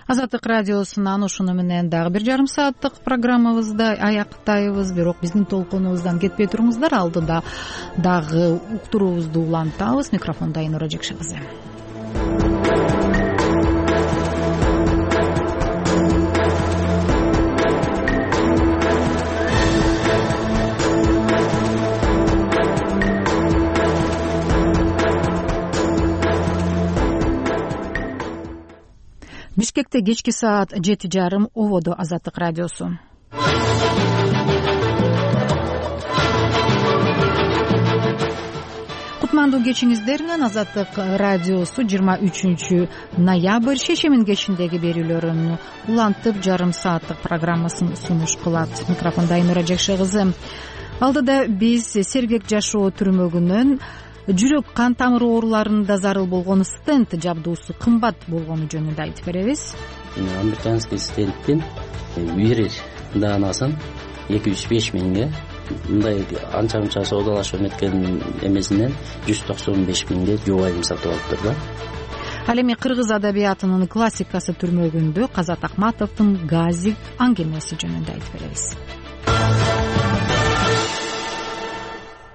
Азаттык радиосунан ушуну менен дагы 1,5 сааттык программабызды аяктайбыз. Бирок биздин толкунубуздан кетпей туруңуздар. Алдыда дагы уктуруубузду улантабыз. Микрофондо Айнура Жекши кызы. Бишкекте кечки саат 7:30 ободо Азаттык радиосу. Кутмандуу кечиңиздер менен Азаттык радиосу 23 ноябрь шешемин кечиндеги берүүлөрүн улантып 1,5 сааттык программасын сунуш кылат. Микрофондо Айнура Жекши кызы. Алдыда биз сергек жашоо түрмөгүнөн жүрөк кан тамыр ооруларында зарыл болгон стенд жабдуусу кымбат болгону жөнүндө айтып беребиз. Американский стендтин бир даанасын 205 миңге, мындай анча мынча соодалашып эметкен эмесинен 195 миңге жубайым сатып алыптыр да. Ал эми кыргыз адабиятынын классикасы түрмөгүндө Казат Акматовдун Газик аңгемеси жөнүндө айтып беребиз.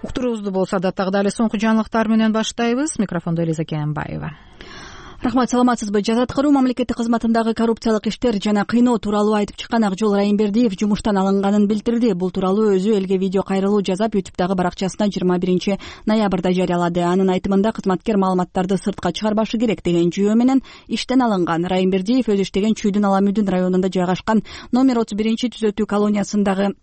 Уктуруубузду болсо дагы эле соңку жаңылыктар менен баштайбыз. Микрофондо Элиза Кенбаева. Рахмат, саламатсызбы? Жаз аткаруу мамлекеттик кызматындагы коррупциялык иштер жана кыйноо тууралуу айтып чыккан Акжол Райымбердиев жумуштан алынганын билдирди. Бул тууралуу өзү элге видео кайрылуу жасап, YouTube'дагы баракчасына 21 ноябрда жарыялады. Анын айтымында кызматкер маалыматтарды сыртка чыгарбашы керек деген жүйө менен иштен алынган. Райымбердиев өзү иштеген Чүйдүн Аламүдүн районунда жайгашкан номер 31 түзөтүү колониясындагы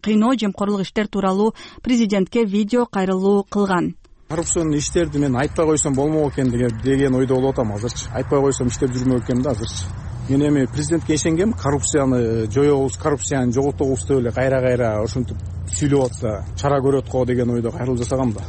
кыйноо, жемкорлук иштер тууралуу президентке видео кайрылуу кылган. Коррупцион иштерди мен айтпай койсом болмок экен деген ойдо болуп атам азырчы. Айтпай койсом иштеп жүрмөк экенмин да азырчы. Мен эми президентке ишенгем, коррупцияны жоёбуз, коррупцияны жоготобуз деп эле кайра ушинтип сүйлөп атса чара көрөт го деген ойдо кайрылуу жасагам да.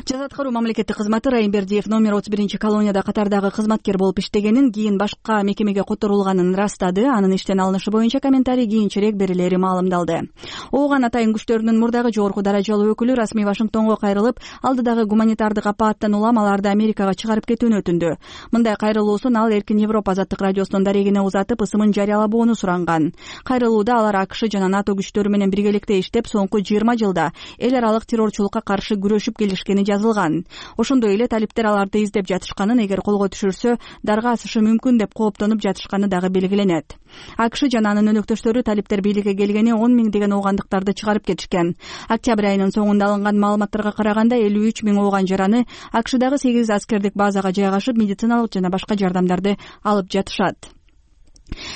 Жаз аткаруу мамлекеттик кызматы Райымбердиев номер 31 колонияда катардагы кызматкер болуп иштегенин, кийин башка мекемеге которулганын растады. Анын иштен алынышы боюнча комментарий кийинчерээк берилери маалымдалды. Ооган атайын күчтөрүнүн мурдагы жогорку даражалуу өкүлү расмий Вашингтонго кайрылып, алдыдагы гуманитардык апааттан улам аларды Америкага чыгарып кетүүнү өтүндү. Мындай кайрылуусун ал Эркин Европа Азаттык радиосунун дарегине узатып, ысымын жарыялабоону суранган. Кайрылууда алар АКШ жана НАТО күчтөрү менен биргеликте иштеп, соңку 20 жылда эл аралык террорчулукка каршы күрөшүп келишкени жазылган. Ошондой эле талиптер аларды издеп жатышканын, эгер колго түшүрсө дарга асышы мүмкүн деп кооптонуп жатышканы дагы белгиленет. АКШ жана анын өнөктөштөрү талиптер бийликке келгени 10 миң деген оогандыктарды чыгарып кетишкен. Октябрь айынын соңунда алынган маалыматтарга караганда 53 миң ооган жараны АКШдагы 8 аскердик базага жайгашып, медициналык жана башка жардамдарды алып жатышат.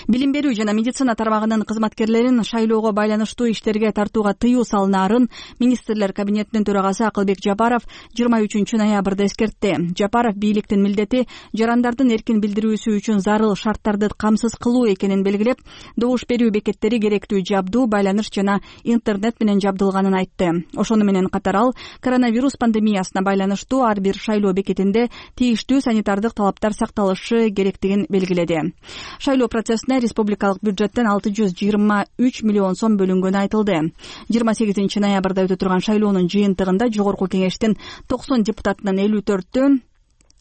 Билим берүү жана медицина тармагынын кызматкерлерин шайлоого байланыштуу иштерге тартууга тыюу салынаарын министрлер кабинетинин төрагасы Акылбек Жапаров 23 ноябрда эскертти. Жапаров бийликтин милдети жарандардын эркин билдирүүсү үчүн зарыл шарттарды камсыз кылуу экенин белгилеп, добуш берүү бекеттери керектүү жабдуу, байланыш жана интернет менен жабдылганын айтты. Ошону менен катар ал коронавирус пандемиясына байланыштуу ар бир шайлоо бекетинде тийиштүү санитардык талаптар сакталышы керектигин белгиледи. Шайлоо процессине республикалык бюджеттен 623 миллион сом бөлүнгөнү айтылды. 28 ноябрда өтө турган шайлоонун жыйынтыгында жогорку кеңештин 90 депутатынын 54-тө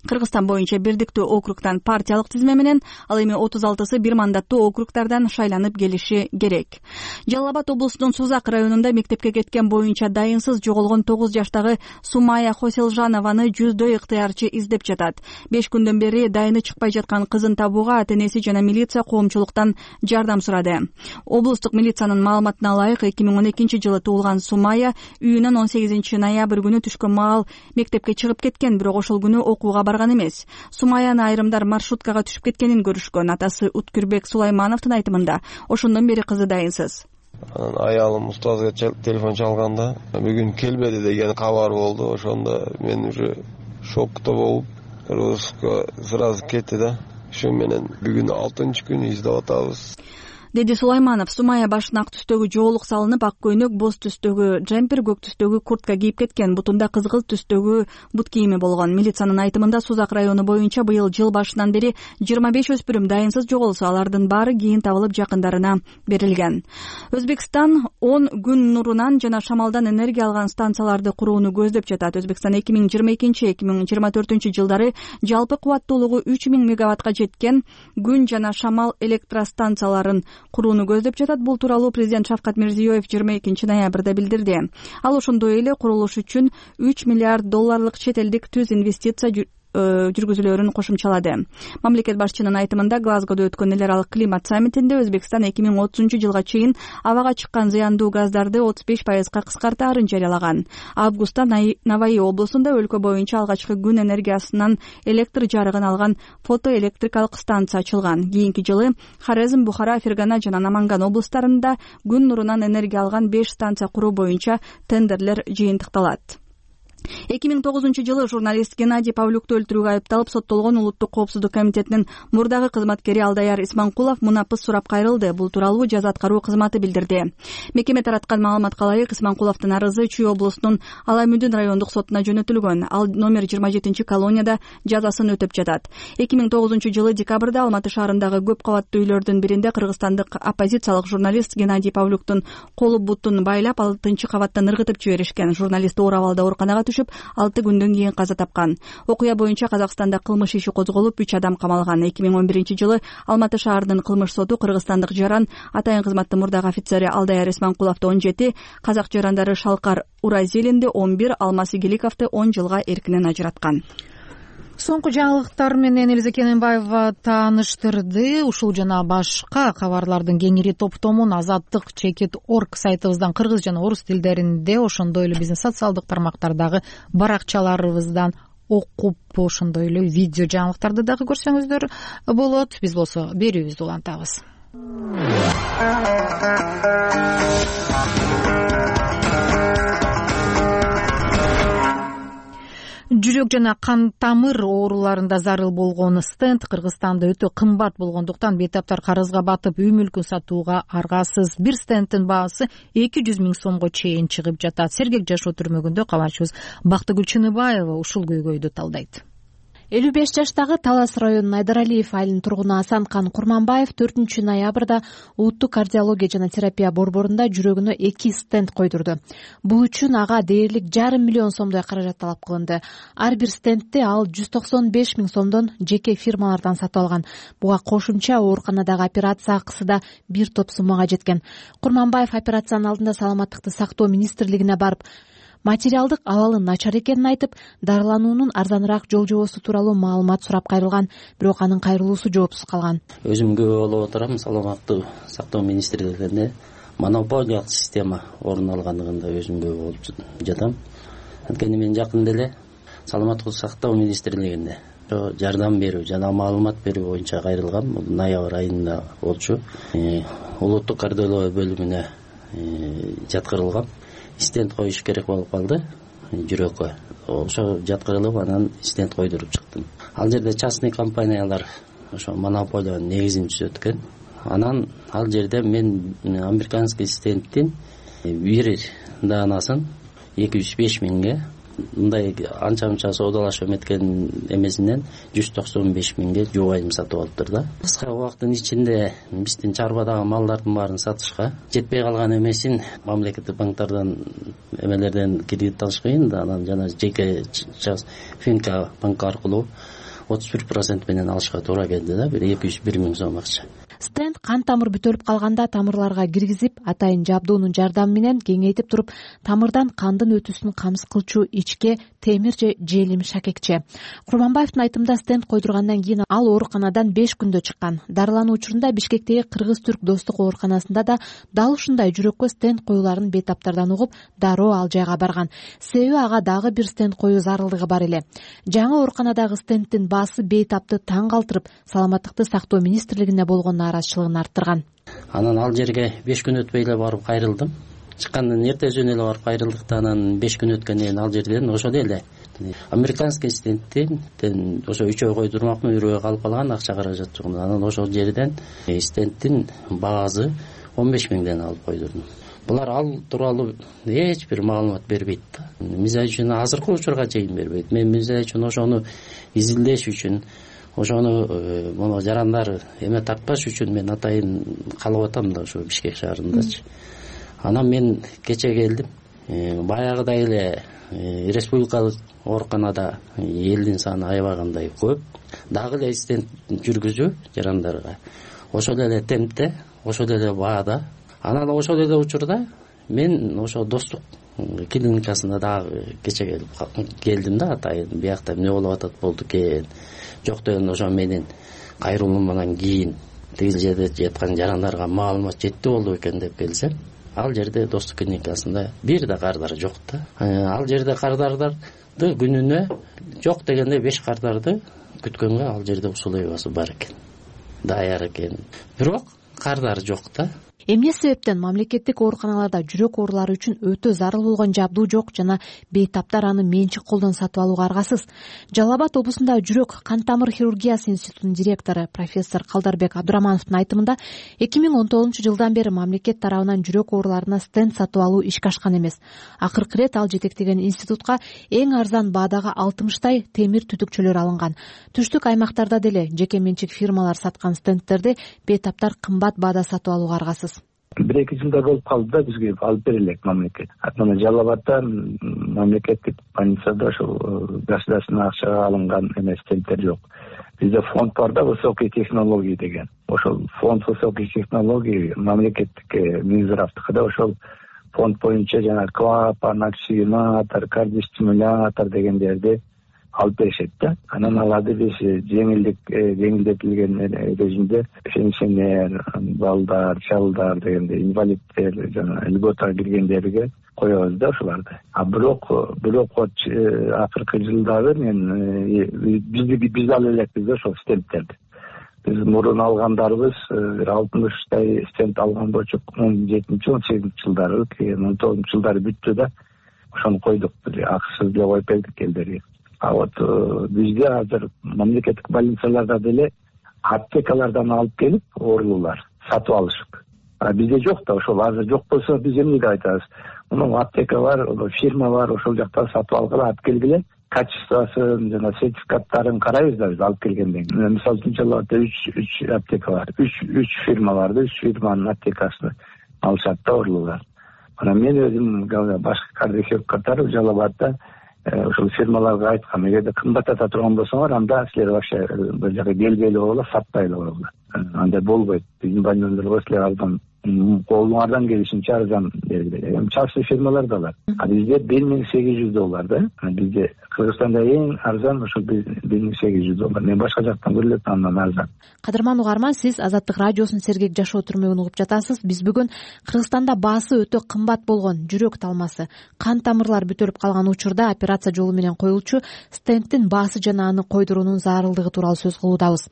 Кыргызстан боюнча бирдиктүү округтан партиялык тизме менен, ал эми 36сы бир мандаттуу округтардан шайланып келиши керек. Жалал Абад облусунун Сузак районунда мектепке кеткен боюнча дайынсыз жоголгон 9 жаштагы Сумая Хоселжанованы жүздөй ыктыярчы издеп жатат. 5 күндөн бери дайыны чыкпай жаткан кызын табууга ата-энеси жана милиция коомчулуктан жардам сурады. Облустук милициянын маалыматына ылайык, 2012 жылы туулган Сумая үйүнөн 18 ноябрь күнү түшкөн маал мектепке чыгып кеткен, бирок ошол күнү окууга барган эмес. Сумаяны айрымдар маршруткага түшүп кеткенин көрүшкөн. Атасы Уткүрбек Сулаймановдун айтымында ошондон бери кызы дайынсыз. Анан аялым устазга телефон чалганда бүгүн келбеди деген кабар болду. Ошондо мен уже шокто болуп, Руско сразу кетти да. Ошо менен бүгүн 6-күн издеп атабыз. деди Сулайманов. Сумая башына ак түстөгү жоолук салынып, ак көйнөк, боз түстөгү джемпер, көк түстөгү куртка кийип кеткен. Бутунда кызгылт түстөгү бут кийими болгон. Милициянын айтымында Сузак району боюнча быйыл жыл башынан бери 25 өспүрүм дайынсыз жоголсо, алардын баары кийин табылып жакындарына берилген. Өзбекстан 10 күн нурунан жана шамалдан энергия алган станцияларды курууну көздөп жатат. Өзбекстан 2022-2024 жылдары жалпы кубаттуулугу 3000 мегаваттка жеткен күн жана шамал электростанцияларын курууну көздөп жатат. Бул тууралуу президент Шавкат Мирзиёев 22 ноябрда билдирди. Ал ошондой эле курулуш үчүн $3 миллиард чет элдик түз инвестиция жүргүзүлөрүн кошумчалады. Мамлекет башчынын айтымында Глазгодо өткөн эл аралык климат саммитинде Өзбекстан 2030 жылга чейин абага чыккан зыяндуу газдарды 35% кыскартаарын жарыялаган. Августта Наваи облусунда өлкө боюнча алгачкы күн энергиясынан электр жарыгын алган фотоэлектрикалык станция ачылган. Кийинки жылы Хорезм, Бухара, Фергана жана Наманган облустарында күн нурунан энергия алган 5 станция куруу боюнча тендерлер жыйынтыкталат. 2009 жылы журналист Геннадий Павлюкту өлтүрүүгө айыпталып соттолгон Улуттук коопсуздук комитетинин мурдагы кызматкери Алдаяр Исманкулов мунапыс сурап кайрылды. Бул тууралуу жаза аткаруу кызматы билдирди. Мекеме тараткан маалыматка ылайык, Исманкуловдун арызы Чүй облусунун Алаймүдүн райондук сотуна жөнөтүлгөн. Ал номер 27 колонияда жазасын өтөп жатат. 2009 жылы декабрда Алматы шаарындагы көп кабаттуу үйлөрдүн биринде кыргызстандык оппозициялык журналист Геннадий Павлюктун колу бутун байлап, 6-кабаттан ыргытып жиберишкен. Журналист оор абалда ооруканага 6 күндөн кийин каза тапкан. Окуя боюнча Казакстанда кылмыш иши козголуп, 3 адам камалган. 2011 жылы Алматы шаарынын кылмыш соту кыргызстандык жаран атайын кызматтын мурдагы офицери Алдаяр Исманкуловду 17, казак жарандары Шалкар Уразилинди 11, Алмаз Игиликовду 10 жылга эркинен ажыраткан. Соңку жаңылыктар менен Элиза Кененбаева тааныштырды. Ушул жана башка кабарлардын кеңири топтомун Азаттык.org сайтыбыздан кыргыз жана орус тилдеринде, ошондой эле биздин социалдык тармактардагы баракчаларыбыздан окуп, ошондой эле видео жаңылыктарды дагы көрсөңүздөр болот. Биз болсо берүүбүздү улантабыз. Жүрөк жана кан тамыр ооруларында зарыл болгон стенд Кыргызстанда өтө кымбат болгондуктан бейтаптар карызга батып үй мүлкүн сатууга аргасыз. Бир стендтин баасы 200 000 сомго чейин чыгып жатат. Сергек жашоо түрмөгүндө кабарчыбыз Бактыгүл Чыныбаева ушул көйгөйдү талдайт. 55 жаштагы Талас районунун Айдаралиев айылынын тургуну Асанкан Курманбаев 4 ноябрда Улуттук кардиология жана терапия борборунда жүрөгүнө 2 стенд койдурду. Бул үчүн ага дээрлик $500 000 сомдой каражат талап кылынды. Ар бир стендти ал 195 000 сомдон жеке фирмалардан сатып алган. Буга кошумча ооруканадагы операция акысы да бир топ суммага жеткен. Курманбаев операциянын алдында саламаттыкты сактоо министрлигине барып, материалдык абалы начар экенин айтып, дарылануунун арзаныраак жол жобосу тууралуу маалымат сурап кайрылган, бирок анын кайрылуусу жоопсуз калган. Өзүм күбө болуп отурам, саламаттык сактоо министрлигинде монополиялык система орун алганлыгында өзүм күбө болуп жатам. Анткени мен жакында эле саламаттык сактоо министрлигинде жардам берүү жана маалымат берүү боюнча кайрылгам. Бул ноябрь айында болчу. Улуттук кардиология бөлүмүнө жаткырылгам. Стенд коюш керек болуп калды жүрөккө. Ошо жаткырылып, анан стенд койдуруп чыктым. Ал жерде частный компаниялар ошо монополиянын негизин түзөт экен. Анан ал жерде мен американский стендтин бир даанасын 205 000ге, мындай анча-мынча соодалашып эметкен эмесинен 195 000ге жубайым сатып алыптыр да. Кыска убакыттын ичинде биздин чарбадагы малдардын баарын сатышка жетпей калган эмесин мамлекеттик банктардан эмелерден кредит алыш кыйын да, анан жана жеке Финка банк аркылуу 31% менен алышка туура келди да, бир 201 000 сом акча. Стенд кан тамыр бүтөлүп калганда тамырларга киргизип, атайын жабдуунун жардамы менен кеңейтип туруп, тамырдан кандын өтүүсүн камсыз кылчу ичке темир же желим шакекче. Курманбаевдин айтымында стенд койдургандан кийин ал ооруканадан 5 күндө чыккан. Дарылануу учурунда Бишкектеги Кыргыз-Түрк достук ооруканасында да дал ушундай жүрөккө стенд коюуларын бейтаптардан угуп, дароо ал жайга барган. Себеби ага дагы бир стенд коюу зарылдыгы бар эле. Жаңы ооруканадагы стендтин баасы бейтапты таң калтырып, саламаттыкты сактоо министрлигине болгон нааразычылыгын арттырган. Анан ал жерге 5 күн өтпөй эле барып кайрылдым. Чыккандан эртесүнө эле барып кайрылдык да, анан 5 күн өткөндөн кийин ал жерден ошол эле Американский стенттен ошо 3 ой койдурмакмын, 1 ой калып калган, акча каражат жок. Анан ошол жерден стенттин баасы 15 миңден алып койдурдум. Булар ал тууралуу эч бир маалымат бербейт да. Мисалы үчүн азыркы учурга чейин бербейт. Мен мисалы үчүн ошону изилдеш үчүн, ошону мону жарандар эме тартпаш үчүн мен атайын калып атам да ошо Бишкек шаарындачы. Анан мен кече келдим. Баягыдай эле республикалык ооруканада элдин саны аябагандай көп. Дагы эле стенд жүргүзүү жарандарга. Ошол эле темпте, ошол эле баада. Анан ошол эле учурда мен ошо Достук клиникасына дагы кече келдим да, атайын биякта эмне болуп атат болду экен. Жок деген ошо менин кайрылуумдан кийин тигил жерде жаткан жарандарга маалымат жетти болду экен деп келсем, ал жерде Достук клиникасында бир да кардар жок да. Ал жерде кардардарды күнүнө жок дегенде 5 кардарды күткөнгө ал жерде условиясы бар экен, даяр экен. Бирок кардар жок да. Эмне себептен мамлекеттик ооруканаларда жүрөк оорулары үчүн өтө зарыл болгон жабдуу жок жана бейтаптар аны менчик колдон сатып алууга аргасыз? Жалал Абад облусунда жүрөк кан тамыр хирургиясы институтунун директору профессор Калдарбек Абдурамановдун айтымында 2019-жылдан бери мамлекет тарабынан жүрөк ооруларына стенд сатып алуу ишке ашкан эмес. Акыркы ирет ал жетектеген институтка эң арзан баадагы 60 темир түтүкчөлөр алынган. Түштүк аймактарда деле жеке менчик фирмалар саткан стендтерди бейтаптар кымбат баада сатып алууга аргасыз. 1-2 жылда болуп калды да бизге алып бере элек мамлекет. Мына Жалал Абадда мамлекеттик больницада ошол государственный акчага алынган эмес стенттер жок. Бизде фонд бар да, высокие технологии деген. Ошол фонд высоких технологий мамлекеттик Минздравдыкы да, ошол фонд боюнча жана клапан, оксигенатор, кардиостимулятор дегендерди алып беришет да. Анан аларды биз жеңилдетилген режимде пенсионер, балдар, чалдар дегенде инвалидтер жана льготага киргендерге коебуз да ошоларды. Бирок акыркы жылдары мен биз ал элекпиз да ошол стендтерди. Биз мурун алгандарыбыз 60 стенд алган болчу 17-18 жылдары, 19 жылдары бүттү да ошону койдук. Акысыз деле коюп бердик элдерге. А вот бизде азыр мамлекеттик больницаларда деле аптекалардан алып келип оорулуулар сатып алышып. Бизде жок да, ошол азыр жок болсо биз эмнеге айтабыз? Мунун аптека бар, фирма бар, ошол жактан сатып алгыла, алып келгиле, качествосын жана сертификаттарын карайбыз да биз алып келгенден кийин. Мисалы үчүн Жалалбадда 3 аптека бар, 3 фирма бар да, 3 фирманын аптекасын алышат да оорулуулар. Анан мен өзүм башкы кардиохирург катары Жалалбадда ошол фирмаларга айткам, эгерде кымбаттата турган болсоңор, анда силер вообще бул жака келбей эле койгула, сатпай эле койгула. Андай болбойт. Биздин больницаларга силер арзан, колуңардан келишинче арзан бергиле. Частный фирмалар да бар. Бизде $1800 да. Бизде Кыргызстанда эң арзан ошол $1800. Мен башка жактан көрүлөт андан арзан. Кадырман угарман, сиз Азаттык радиосунун сергек жашоо түрмөгүн угуп жатасыз. Биз бүгүн Кыргызстанда баасы өтө кымбат болгон жүрөк талмасы, кан тамырлар бүтөлүп калган учурда операция жолу менен коюлчу стенттин баасы жана аны койдуруунун зарылдыгы тууралуу сөз кылуудабыз.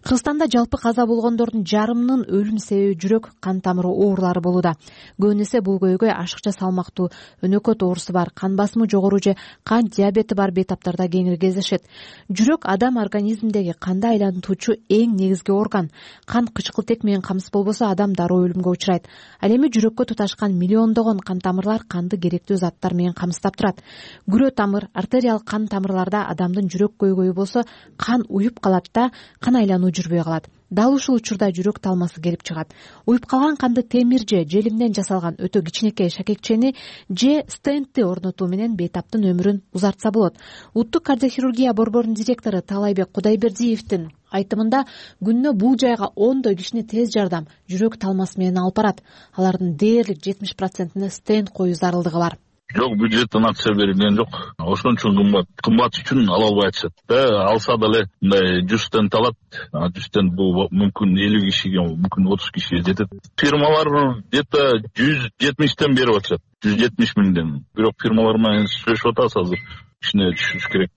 Кыргызстанда жалпы каза болгондордун жарымынын өлүм себеби жүрөк кан тамыры оорулары болууда. Көбүн эсе бул көйгөй ашыкча салмактуу өнөкөт оорусу бар, кан басымы жогору же кан диабети бар бейтаптарда кеңири кездешет. Жүрөк адам организминдеги канды айлантуучу эң негизги орган. Кан кычкылтек менен камсыз болбосо адам дароо өлүмгө учурайт. Ал эми жүрөккө туташкан миллиондогон кан тамырлар канды керектүү заттар менен камсыздап турат. Күрө тамыр, артериалдык кан тамырларда адамдын жүрөк көйгөйү болсо кан уюп калат да кан айлануу жүрбөй калат. Дал ушул учурда жүрөк талмасы келип чыгат. Уюп калган канды темир же желимден жасалган өтө кичинекей шакекчени же стентти орнотуу менен бейтаптын өмүрүн узартса болот. Улуттук кардиохирургия борборунун директору Таалайбек Кудайбердиевдин айтымында күнүнө бул жайга 10 кишини тез жардам жүрөк талмасы менен алып барат. Алардын дээрлик 70%-ine стенд коюу зарылдыгы бар. Жок, бюджеттен акча берилген жок. Ошон үчүн кымбат үчүн ала албай атышат. Алса деле мындай 100 стенд алат. 100 стенд бул мүмкүн 50 кишиге, мүмкүн 30 кишиге жетет. Фирмалар где-то 170тен берип атышат. 170 миңден. Бирок фирмалар менен сүйлөшүп атабыз азыр. Кичине түшүш керек.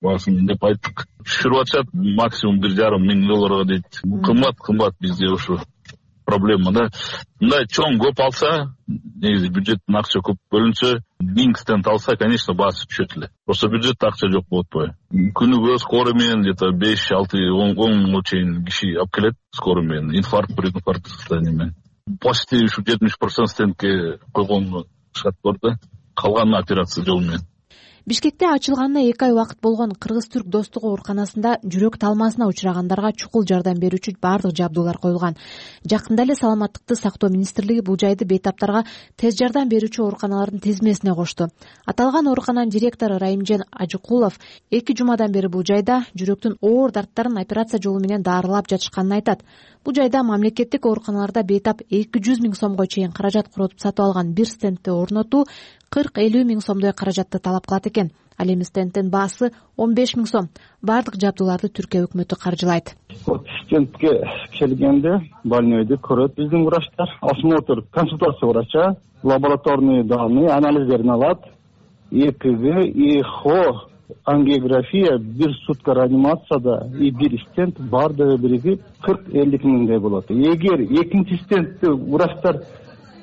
Баасын деп айттык. Түшүрүп атышат максимум $1,5 миң дейт. Кымбат бизде ушу проблема да. Мындай чоң көп алса, негизи бюджеттен акча көп бөлүнсө, 1000 стенд алса, конечно, баасы түшөт эле. Просто бюджетте акча жок болот атпайбы? Күнүгө скорый менен где-то 5, 6, 10 миңге чейин киши алып келет скорый менен, инфаркт, прединфаркт состояние менен. Почти ушу 70% стендке койгон шарт бар да. Калганы операция жол менен. Бишкекте ачылганына 2 ай убакыт болгон кыргыз-түрк достук ооруканасында жүрөк талмасына учурагандарга чукул жардам берүүчү бардык жабдуулар коюлган. Жакында эле Саламаттыкты сактоо министрлиги бул жайды бейтаптарга тез жардам берүүчү ооруканалардын тизмесине кошту. Аталган оорукананын директору Райымжан Ажыкулов 2 жумадан бери бул жайда жүрөктүн оор дарттарын операция жолу менен дарылап жатышканын айтат. Бул жайда мамлекеттик ооруканаларда бейтап 200 миң сомго чейин каражат коротуп сатып алган бир стендти орнотуу 40-50 миң сомдой каражатты талап кылат экен. Ал эми стендтин баасы 15 миң сом. Бардык жабдууларды Түркия өкмөтү каржылайт. Стендке келгенде больнойду көрөт биздин врачтар, осмотр, консультация врача, лабораторный данные, анализдерин алат. ЭКГ, ЭХО, ангиография, бир сутка реанимацияда и бир стенд бардыгы биригип 40-50 миңдей болот. Эгер экинчи стендти врачтар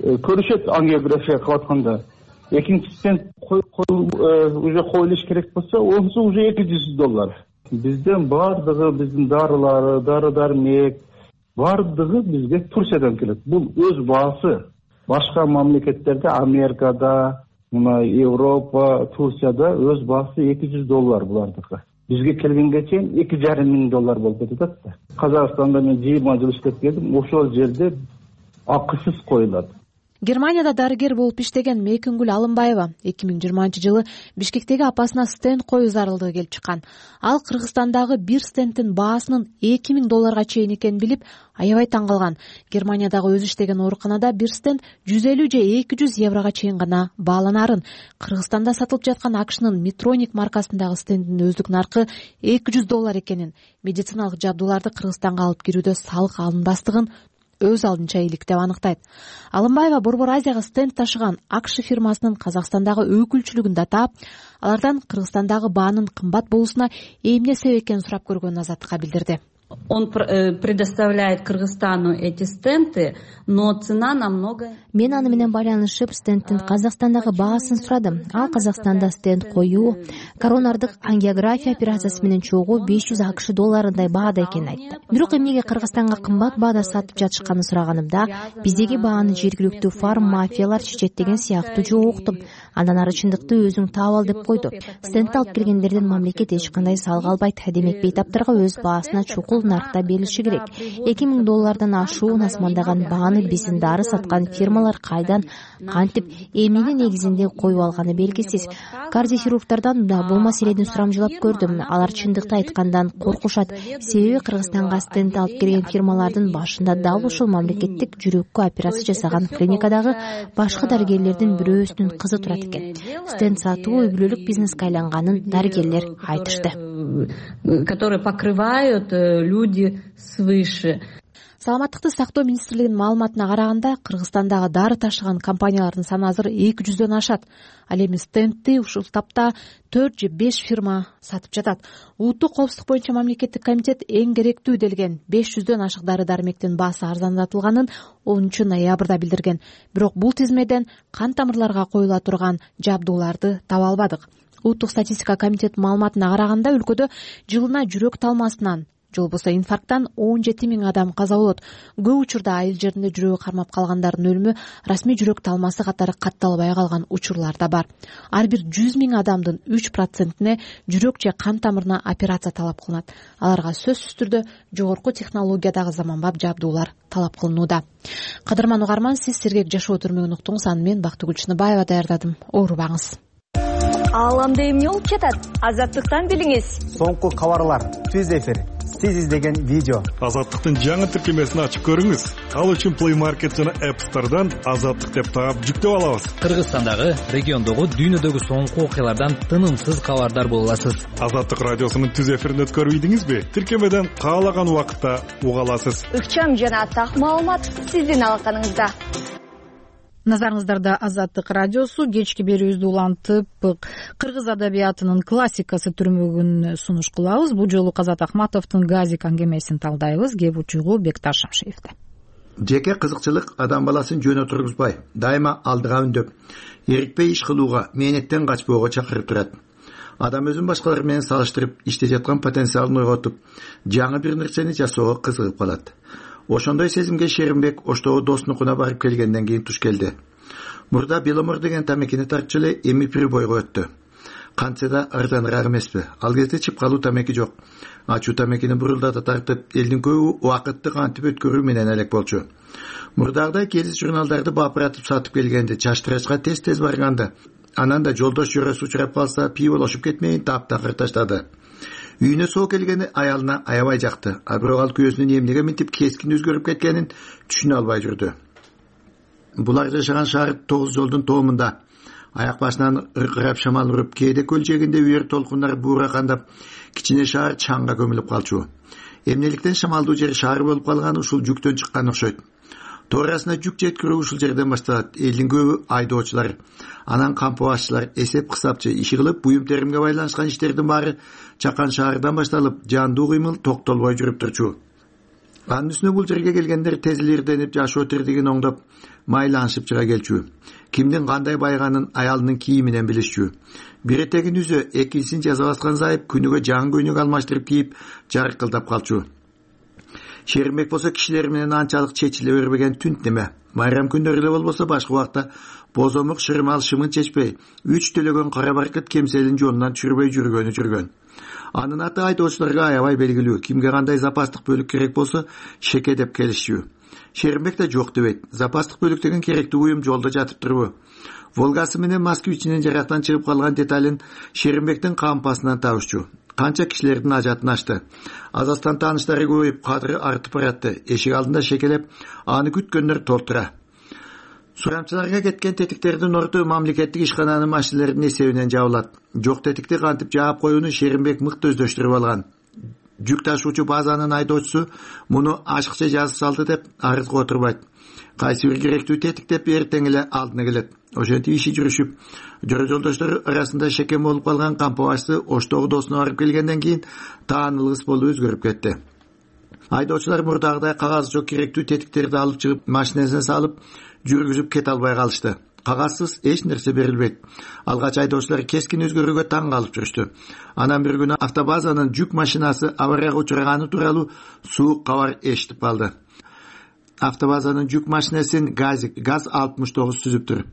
көрүшөт ангиография кылып атканда, экинчи стенд уже коюлуш керек болсо, онсу уже $200. Бизден бардыгы, биздин дарылары, дары-дармек бардыгы бизге Турциядан келет. Бул өз баасы. Башка мамлекеттерде, Америкада, мына Европа, Турцияда өз баасы $200 булардыкы. Бизге келгенге чейин $2,5 миң болуп кетет да. Казакстанда мен 20 жыл иштеп келдим, ошол жерде акысыз коюлат. Германияда дарыгер болуп иштеген Мейкүнгүл Алымбаева 2020-жылы Бишкектеги апасына стенд коюу зарылдыгы келип чыккан. Ал Кыргызстандагы бир стендтин баасынын $2,000 чейин экенин билип, аябай таң калган. Германиядагы өзү иштеген ооруканада бир стенд 150 же 200 еврого чейин гана бааланарын. Кыргызстанда сатылып жаткан AQShnын Medtronic маркасындагы стенддин өздүк наркы $200 экенин, медициналык жабдууларды Кыргызстанга алып кирүүдө салык алынбастыгын өз алдынча ийгилик деп аныктайт. Алымбаева Борбор Азияга стенд ташыган AQSh фирмасынын Казакстандагы өкүлчүлүгүн да таап, алардан Кыргызстандагы баанын кымбат болуусуна эмне себеп экенин сурап көргөнүн Азаттыкка билдирди. Он предоставляет Кыргызстану эти стенды, но цена намного... Мен аны менен байланышып стендтин Казакстандагы баасын сурадым. Ал Казакстанда стенд коюу, коронардык ангиография операциясы менен чогуу $500 баада экенин айтты. Бирок эмнеге Кыргызстанга кымбат баада сатып жатышканын сураганымда, биздеги бааны жергиликтүү фарм мафиялар чечет деген сыяктуу жооп уктум. Андан ары чындыкты өзүң таап ал деп койду. Стенд алып келгендерден мамлекет эч кандай салык албайт. Демек бейтаптарга өз баасына чукул наркта берилиши керек. $2,000 ашуун асмандаган бааны биздин дары саткан фирмалар кайдан, кантип, эмненин негизинде коюп алганы белгисиз. Кардиохирургдардан да бул маселени сурамжылап көрдүм. Алар чындыкты айткандан коркушат. Себеби Кыргызстанга стенд алып келген фирмалардын башында дал ушул мамлекеттик жүрөккө операция жасаган клиникадагы башкы дарыгерлердин бирөөсүнүн кызы турат экен. Стенд сатуу үй бүлөлүк бизнеске айланганын дарыгерлер айтышты. Которые покрывают люди свыше. Саламаттыкты сактоо министрлигинин маалыматына караганда, Кыргызстандагы дары ташыган компаниялардын саны азыр 200дөн ашат. Ал эми стендти ушул тапта 4 же 5 фирма сатып жатат. Улуттук коопсуздук боюнча мамлекеттик комитет эң керектүү делген 500дөн ашык дары-дармектин баасы арзандатылганын 10 ноябрда билдирген. Бирок бул тизмеден кан тамырларга коюла турган жабдууларды таба албадык. Улуттук статистика комитетинин маалыматына караганда, өлкөдө жылына жүрөк талмасынан же болбосо инфаркттан 17 миң адам каза болот. Көп учурда айыл жеринде жүрөгү кармап калгандардын өлүмү расмий жүрөк талмасы катары катталбай калган учурлар да бар. Ар бир 100 миң адамдын 3%-не жүрөк же кан тамырына операция талап кылынат. Аларга сөзсүз түрдө жогорку технологиядагы заманбап жабдуулар талап кылынууда. Кадырман угарман, сиз сергек жашоо түрмөгүн уктуңуз. Аны мен Бактыгүл Чыныбаева даярдадым. Оорубаңыз. Ааламда эмне болуп жатат? Азаттыктан билиңиз. Соңку кабарлар, түз эфир, сиз издеген видео. Азаттыктын жаңы тиркемесин ачып көрүңүз. Ал үчүн Play Market жана App Store'дан Азаттык деп таап жүктөп алабыз. Кыргызстандагы, региондогу, дүйнөдөгү соңку окуялардан тынымсыз кабардар боло аласыз. Азаттык радиосунун түз эфирин өткөрүп ийдиңизби? Тиркемеден каалаган убакытта уга аласыз. Ыкчам жана так маалымат сиздин алаканыңызда. Назарыңыздарда Азаттык радиосу. Кечки берүүбүздү улантып, кыргыз адабиятынын классикасы түрмөгүн сунуш кылабыз. Бул жолу Казат Ахматовдун Газик аңгемесин талдайбыз. Кеп учугу Бекташ Шамшиевде. жеке кызыкчылык адам баласын жөн отургузбай, дайыма алдыга үндөп, эрикпей иш кылууга, мээнеттен качпоого чакырып турат. Адам өзүн башкалар менен салыштырып, иште жаткан потенциалын ойготуп, жаңы бир нерсени жасоого кызыгып калат. Ошондой сезимге Шеримбек Оштогу досунукуна барып келгенден кийин туш келди. Мурда Беломор деген тамекини тартчу эле эми прибойго өттү. Кантсе да арзаныраак эмеспи? Ал кезде чыпкалуу тамеки жок. Ачуу тамекини бурулдата тартып, элдин көбү убакытты кантип өткөрүү менен элек болчу. Мурдагыдай келиз журналдарды бапыратып сатып келгенди, чаштырачка тез барганды. Анан да жолдош жөрөсү учурап калса, пиvolошуп кетмейин таптакыр таштады. Үйүнө соо келгени аялына аябай жакты. А бирок ал күйөөсүнүн эмнеге мынтип кескин өзгөрүп кеткенин түшүнө албай жүрдү. Булар жашаган шаар 9 жолдун тоомунда. Аяк башынан ыркырап шамал уруп, кээде көл жээгинде үйөр толкундар бууракандап, кичине шаар чаңга көмүлүп калчу. Эмнеликтен шамалдуу жер шаар болуп калганы ушул жүктөн чыккан окшойт. Тоорасына жүк жеткирүү ушул жерден башталат. Элдин көбү айдоочулар, анан кампыбашчылар, эсеп кысапчы иши кылып, буюм теримге байланышкан иштердин баары чакан шаардан башталып, жандуу кыймыл токтолбой жүрүп турчу. Анын үстүнө бул жерге келгендер тез илирденип, жашоо тирдигин оңдоп, майланышып чыга келчү. Кимдин кандай байганын аялынын кийиминен билишчү. Бир этегин үзө, экинчисин жаза баскан зайып күнүгө жаңы көйнөк алмаштырып кийип, жаркылдап калчу. Шеримбек болсо кишилер менен анчалык чечиле бербеген түнт неме. Майрам күндөрү эле болбосо башка убакта бозомук шырмал шымын чечпей, 3 төлөгөн кара баркыт кемселин жолунан түшүрбөй жүргөн. Анын аты айдоочуларга аябай белгилүү. Кимге кандай запастык бөлүк керек болсо, шеке деп келишчү. Шеримбек да жок дебейт. Запастык бөлүк деген керектүү буюм жолдо жатып турбу. Волгасы менен Москвичинин жарактан чыгып калган деталин Шеримбектин кампасынан табышчу. Канча кишилердин ажатын ачты. Азастан тааныштары көбөйүп, кадыры артып баратты. Эшик алдында шекелеп, аны күткөндөр толтура. Сурамчыларга кеткен тетиктердин орду мамлекеттик ишкананын машиналеринин эсебинен жабылат. Жок тетикти кантип жаап коюуну Шеримбек мыкты өздөштүрүп алган. Жүк ташуучу базанын айдоочусу муну ашыкча жазып салды деп арызга отурбайт. Кайсы бир керектүү тетик деп эртең эле алдына келет. Ошентип иши жүрүшүп, жөрө жолдоштор арасында шекем болуп калган кампыбашчы Оштогу досуна барып келгенден кийин таанылгыс болуп өзгөрүп кетти. Айдоочулар мурдагыдай кагазы жок керектүү тетиктерди алып чыгып, машинесине салып, жүргүзүп кете албай калышты. Кагазсыз эч нерсе берилбейт. Алгач айдоочулар кескин өзгөрүүгө таң калып жүрүштү. Анан бир күнү автобазанын жүк машинасы аварияга учураганы тууралуу суук кабар эшитип калды. Автобазанын жүк машинесин ГАЗ 69 түзүптүр.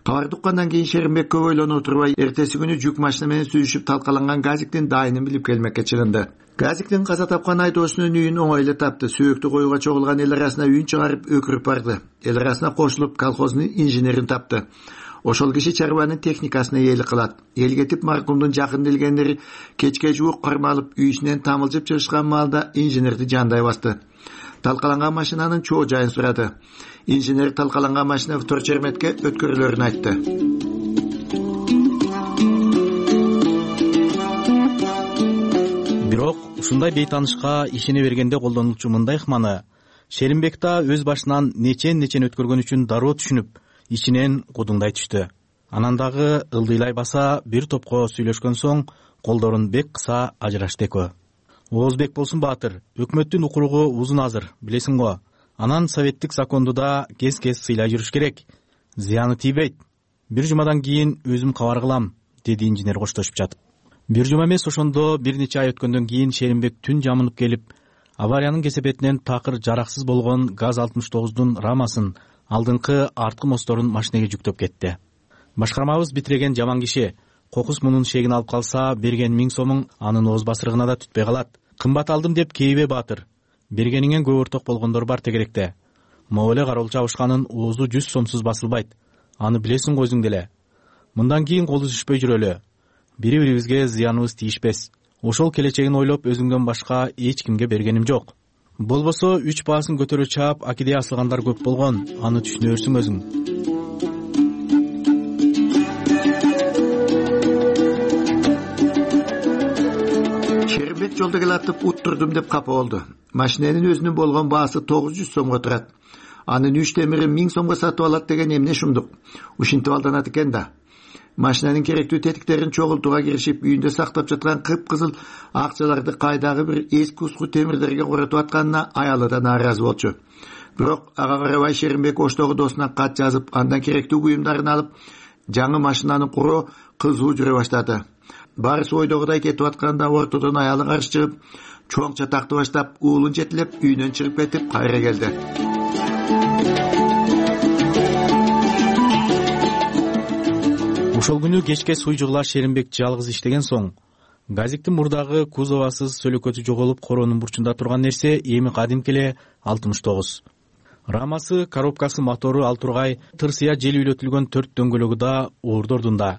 Кабарды уккандан кийин Шеримбек көп ойлоно отурбай, эртеси күнү жүк машина менен сүзүшүп талкаланган ГАЗиктин дайынын билип келмекке чыгынды. ГАЗиктин каза тапкан айдоочунун үйүн оңой эле тапты. Сөөктү коюуга чогулган эл арасына үйүн чыгарып өкүрүп барды. Эл арасына кошулуп колхоздун инженерин тапты. Ошол киши чарбанын техникасына ээлик кылат. Эл кетип маркумдун жакын билгендери кечке жуук кармалып, үйүсүнөн тамылжып чыгышкан маалда инженерди жандай басты. Талкаланган машинанын чоо жайын сурады. Инженер талкаланган машина вторчерметке өткөрүлөрүн айтты. Бирок ушундай бейтанышка ишене бергенде колдонулчу мындай ыкманы Шеримбек да өз башынан нечен өткөргөн үчүн дароо түшүнүп, ичинен кудуңдай түштү. Анан дагы ылдыйлай баса бир топко сүйлөшкөн соң колдорун бек кыса ажырашты экөө. Оозбек болсун Баатыр, өкмөттүн укуругу узун азыр, билесиң го. Анан советтик законду да кез-кез сыйлай жүрүш керек. Зыяны тийбейт. Бир жумадан кийин өзүм кабар кылам, деди инженер коштошуп жатып. Бир жума эмес, ошондо бир нече ай өткөндөн кийин Шеримбек түн жамынып келип, авариянын кесепетинен такыр жараксыз болгон ГАЗ 69дун рамасын, алдыңкы арткы мосторун машинеге жүктөп кетти. Башкармабыз битиреген жаман киши. Кокус мунун шегин алып калса, берген 1000 сомуң анын ооз басырыгына да түтпөй калат. Кымбат алдым деп кейбе Баатыр. Бергениңен көп орток болгондор бар тегеректе. Могу эле кароол чабышканын оозу 100 сомсуз басылбайт. Аны билесиң го өзүң деле. Мындан кийин кол үзүшпөй жүрөлү. Бири-бирибизге зыяныбыз тийишпес. Ошол келечегин ойлоп өзүңдөн башка эч кимге бергеним жок. Болбосо 3 баасын көтөрө чаап акидей асылгандар көп болгон. Аны түшүнөрсүң өзүң. Шеримбек жолдо келатып уттурдум деп капа болду. Машиненин өзүнүн болгон баасы 900 сомго турат. Анын 3 темирин 1000 сомго сатып алат деген эмне шумдук. Ушинтип алданат экен да. Машинанын керектүү тетиктерин чогултууга киришип, үйүндө сактап жаткан кыпкызыл акчаларды кайдагы бир эски уску темирлерге коротуп атканына аялы да нааразы болчу. бирок ага карабай Шеримбек Оштогу досуна кат жазып, андан керектүү буюмдарын алып, жаңы машинаны куруу кызуу жүрө баштады. Барысы ойдогудай кетип атканда ортодон аялы каршы чыгып, чоң чатакты баштап, уулун жетилеп, үйүнөн чыгып кетип кайра келди. Ошол күнү кечке суйжугула Шеримбек жалгыз иштеген соң, газиктин мурдагы кузовасыз сөлөкөтү жоголуп, коронун бурчунда турган нерсе эми кадимки эле 69. Рамасы, коробкасы, мотору ал тургай, тырсыя жел үйлөтүлгөн 4 дөңгөлөгү да ордордунда.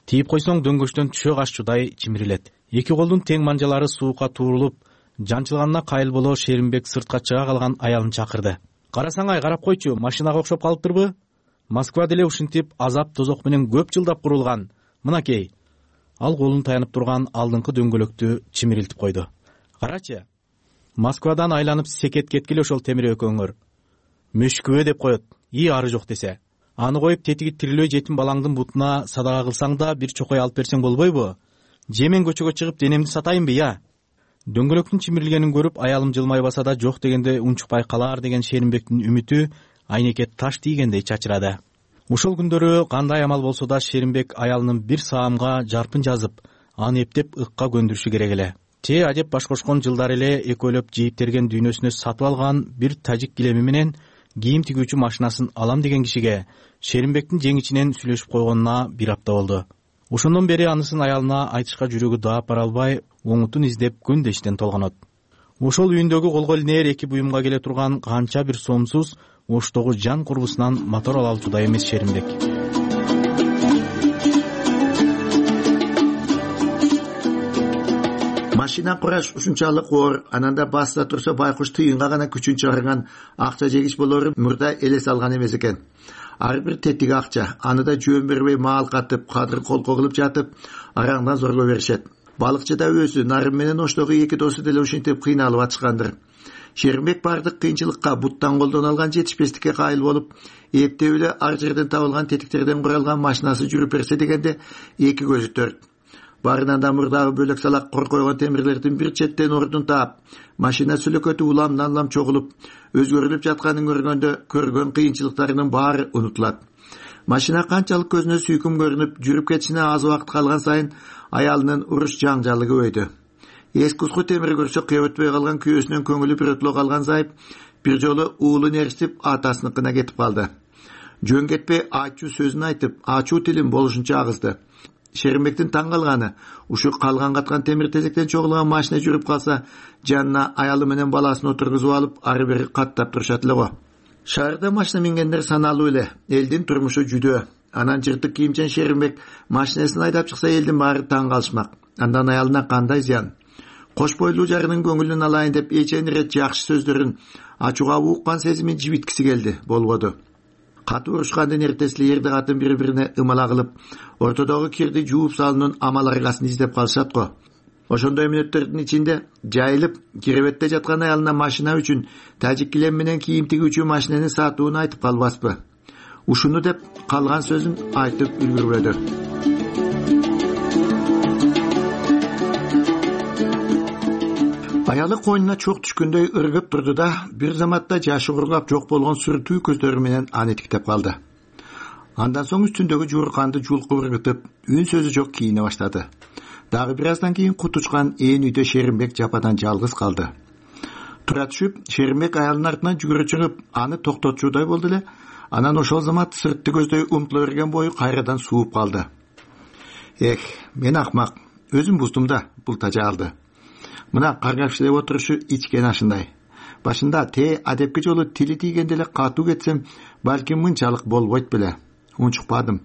Тийип койсоң дөңгөчтөн түшө кашчудай чимирилет. Эки колдун тең манжалары суукка туурулуп, жанчылганына кайыл боло Шеримбек сыртка чыга калган аялын чакырды. Карасаң ай, карап койчу, машинага окшоп калыптырбы? Москва деле ушинтип азап тозок менен көп жылдап курулган. Мынакей. Ал колун таянып турган алдыңкы дөңгөлөктү чимирилтип койду. Карачы. Москвадан айланып секет кеткиле ошол темир экөөңөр. Мөшкүбө деп коет. Ары жок десе. Аны коюп тетиги тирилөө жетим балаңдын бутуна садага кылсаң да бир чокой алып берсең болбойбу? Же мен көчөгө чыгып денемди сатайынбы, я? Дөңгөлөктүн чимирилгенин көрүп аялым жылмай баса да жок дегенде унчукпай калаар деген Шеримбектин үмүтү айнекке таш тийгендей чачырады. Ошол күндөрү кандай амал болсо да Шеримбек аялынын бир саамга жарпын жазып, аны эптеп ыкка көндүрүшү керек эле. Те адеп баш кошкон жылдары эле экөөлөп жийиптерген дүйнөсүнө сатып алган бир тажик килеми менен кийим тигүүчү машинасын алам деген кишиге Шеримбектин жеңичинен сүйлөшүп койгонуна бир апта болду. Ошондон бери анысын аялына айтышка жүрөгү даап бара албай, оңутун издеп күндө иштен толгонот. Ошол үйүндөгү колго илинер эки буюмга келе турган канча бир сомсуз Оштогу жан курбусунан мотор ала алчудай эмес Шеримбек. Машина кураш ушунчалык оор, ананда баста турса байкуш тыйынга гана күчүн чыгарган акча жегич болору мурда элес алган эмес экен. Ар бир тетиги акча, аны да жөн бербей маал катып, кадыр колко кылып жатып, араңдан зорлоо беришет. Балыкчы да өзү, Нарым менен Оштогу эки досу деле ушинтип кыйналып атышкандыр. Шеримбек бардык кыйынчылыкка, буттан колдон алган жетишпестикке кайыл болуп, эптеп эле ар жерден табылган тетиктерден куралган машинасы жүрүп берсе дегенде эки көзү төрт. Барынан да мурдагы бөлөк салак кор койгон темирлердин бир четтен ордун таап, машина сүлөкөтү уламдан чогулуп, өзгөрүлүп жатканын көргөндө көргөн кыйынчылыктарынын баары унутулат. Машина канчалык көзүнө сүйкүм көрүнүп, жүрүп кетишине аз убакыт калган сайын аялынын уруш жаңжалы көбөйдү. Эскуску темир көрсө кебөтпөй калган күйөөсүнөн көңүлү бирөтүлө калган Зайып бир жолу уулун эрсип атасыныкына кетип калды. Жөн кетпей ачуу сөзүн айтып, ачуу тилин болушунча агызды. Шеримбектин таң калганы, ушу калган каткан темир тезектен чогулган машина жүрүп калса, жанына аялы менен баласын отургузуп алып, ары бери каттап турушат эле го. Шаарда машина мингендер саналуу эле, элдин турмушу жүдөө. Анан жыртык кийимчен Шеримбек машинасын айдап чыкса элдин баары таң калышмак. Андан аялына кандай зыян? Кош бойлуу жарынын көңүлүн алайын деп эчен ирет жакшы сөздөрүн, ачууга уккан сезимин жибиткиси келди, болбоду. Катуу урушкандын эртеси эрди катын бири-бирине ымала кылып, ортодогу кирди жууп салуунун амал аргасын издеп калышат го. Ошондой мүнөттөрдүн ичинде жайылып киребетте жаткан аялына машина үчүн тажик килем менен кийим тигүүчү машинени сатууну айтып калбаспы? Ушуну деп калган сөзүн айтып үлгүрбөдү. Аялы койнуна чок түшкөндөй ыргып турду да, бир заматта жашы курлап жок болгон сүртүү көздөрү менен аны тиктеп калды. Андан соң үстүндөгү жуурканды жулкуп ыргытып, үн сөзү жок кийине баштады. Дагы бир аздан кийин кут учкан ээн үйдө Шеримбек жападан жалгыз калды. Тура түшүп, Шеримбек аялынын артынан жүгүрө чыгып, аны токтотчудай болду эле. Анан ошол замат сыртты көздөй умтула берген бою кайрадан сууп калды. Мен акмак, өзүм буздум да бул тажаалды. Мына каргапшылеп отурушу ичкен ашындай. Башында адепки жолу тили тийгенде эле катуу кетсем, балким мынчалык болбойт беле. Унчукпадым.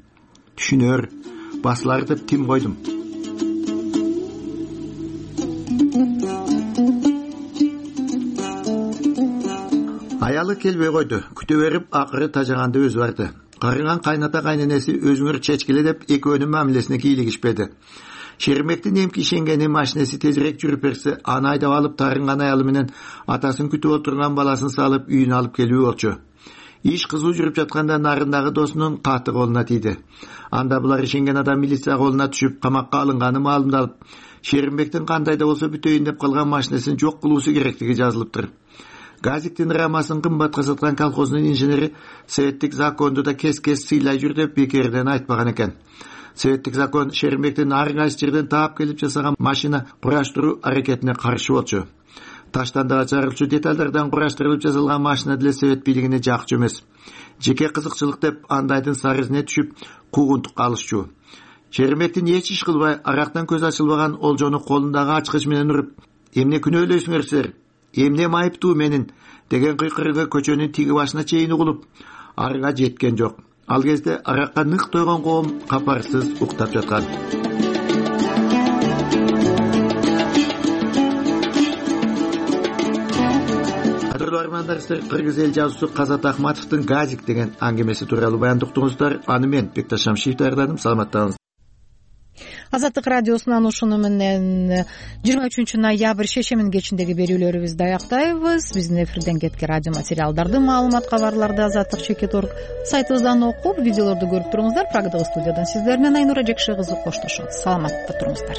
Түшүнөр, басылар деп тим койдум. Аялы келбей койду. Күтө берип, акыры тажаганды өзү барды. Карыган кайната кайненеси өзүңөр чечкиле деп экөөнүн мамилесине кийлигишпеди. Шеримбектин эмки ишенгени машинеси тезирээк жүрүп берсе, аны айдап алып тарынган аялы менен атасын күтүп отурган баласын салып үйүнө алып келүү болчу. Иш кызуу жүрүп жатканда нарындагы досунун каты колуна тийди. Анда булар ишенген адам милиция колуна түшүп, камакка алынганы маалымдалып, Шеримбектин кандай да болсо бүтөйүн деп калган машинесин жок кылуусу керектиги жазылыптыр. газиктин рамасын кымбатка саткан колхоздун инженери советтик законду да кес сыйлай жүр деп бекерден айтпаган экен. Советтик закон Шеримбектин ар кайсы жерден таап келип жасаган машина кураштыруу аракетине каршы болчу. Таштандагы чыгарылчу детальдардан кураштырылып жасалган машина деле совет бийлигине жакчу эмес. Жеке кызыкчылык деп андайдын сарызине түшүп куугунтукка алышчу. Шеримбектин эч иш кылбай арактан көз ачылбаган олжону колундагы ачкыч менен уруп, эмне күнөөлөйсүңөр силер, эмне майыптуу менин деген кыйкырыгы көчөнүн тиги башына чейин угулуп, арга жеткен жок. Ал кезде аракка нык тойгон коом капарсыз уктап жаткан. Кадырлуу армандар, сиздер кыргыз эл жазуучусу Казат Ахматовдун «Газик» деген аңгемеси тууралуу баяндоктуңуздар. Аны мен Бекташ Шамшиев даярдадым. Саламаттаңыз. Азаттык радиосунан ушуну менен 23 ноябрь шешемин кечиндеги берүүлөрүбүздү аяктайбыз. Биздин эфирден кеткен радио материалдарды, маалымат, кабарларды Азаттык.org сайтыбыздан окуп, видеолорду көрүп туруңуздар. Прагдагы студиядан сиздер менен Айнура Жекше кызы коштошот. Саламатта туруңуздар.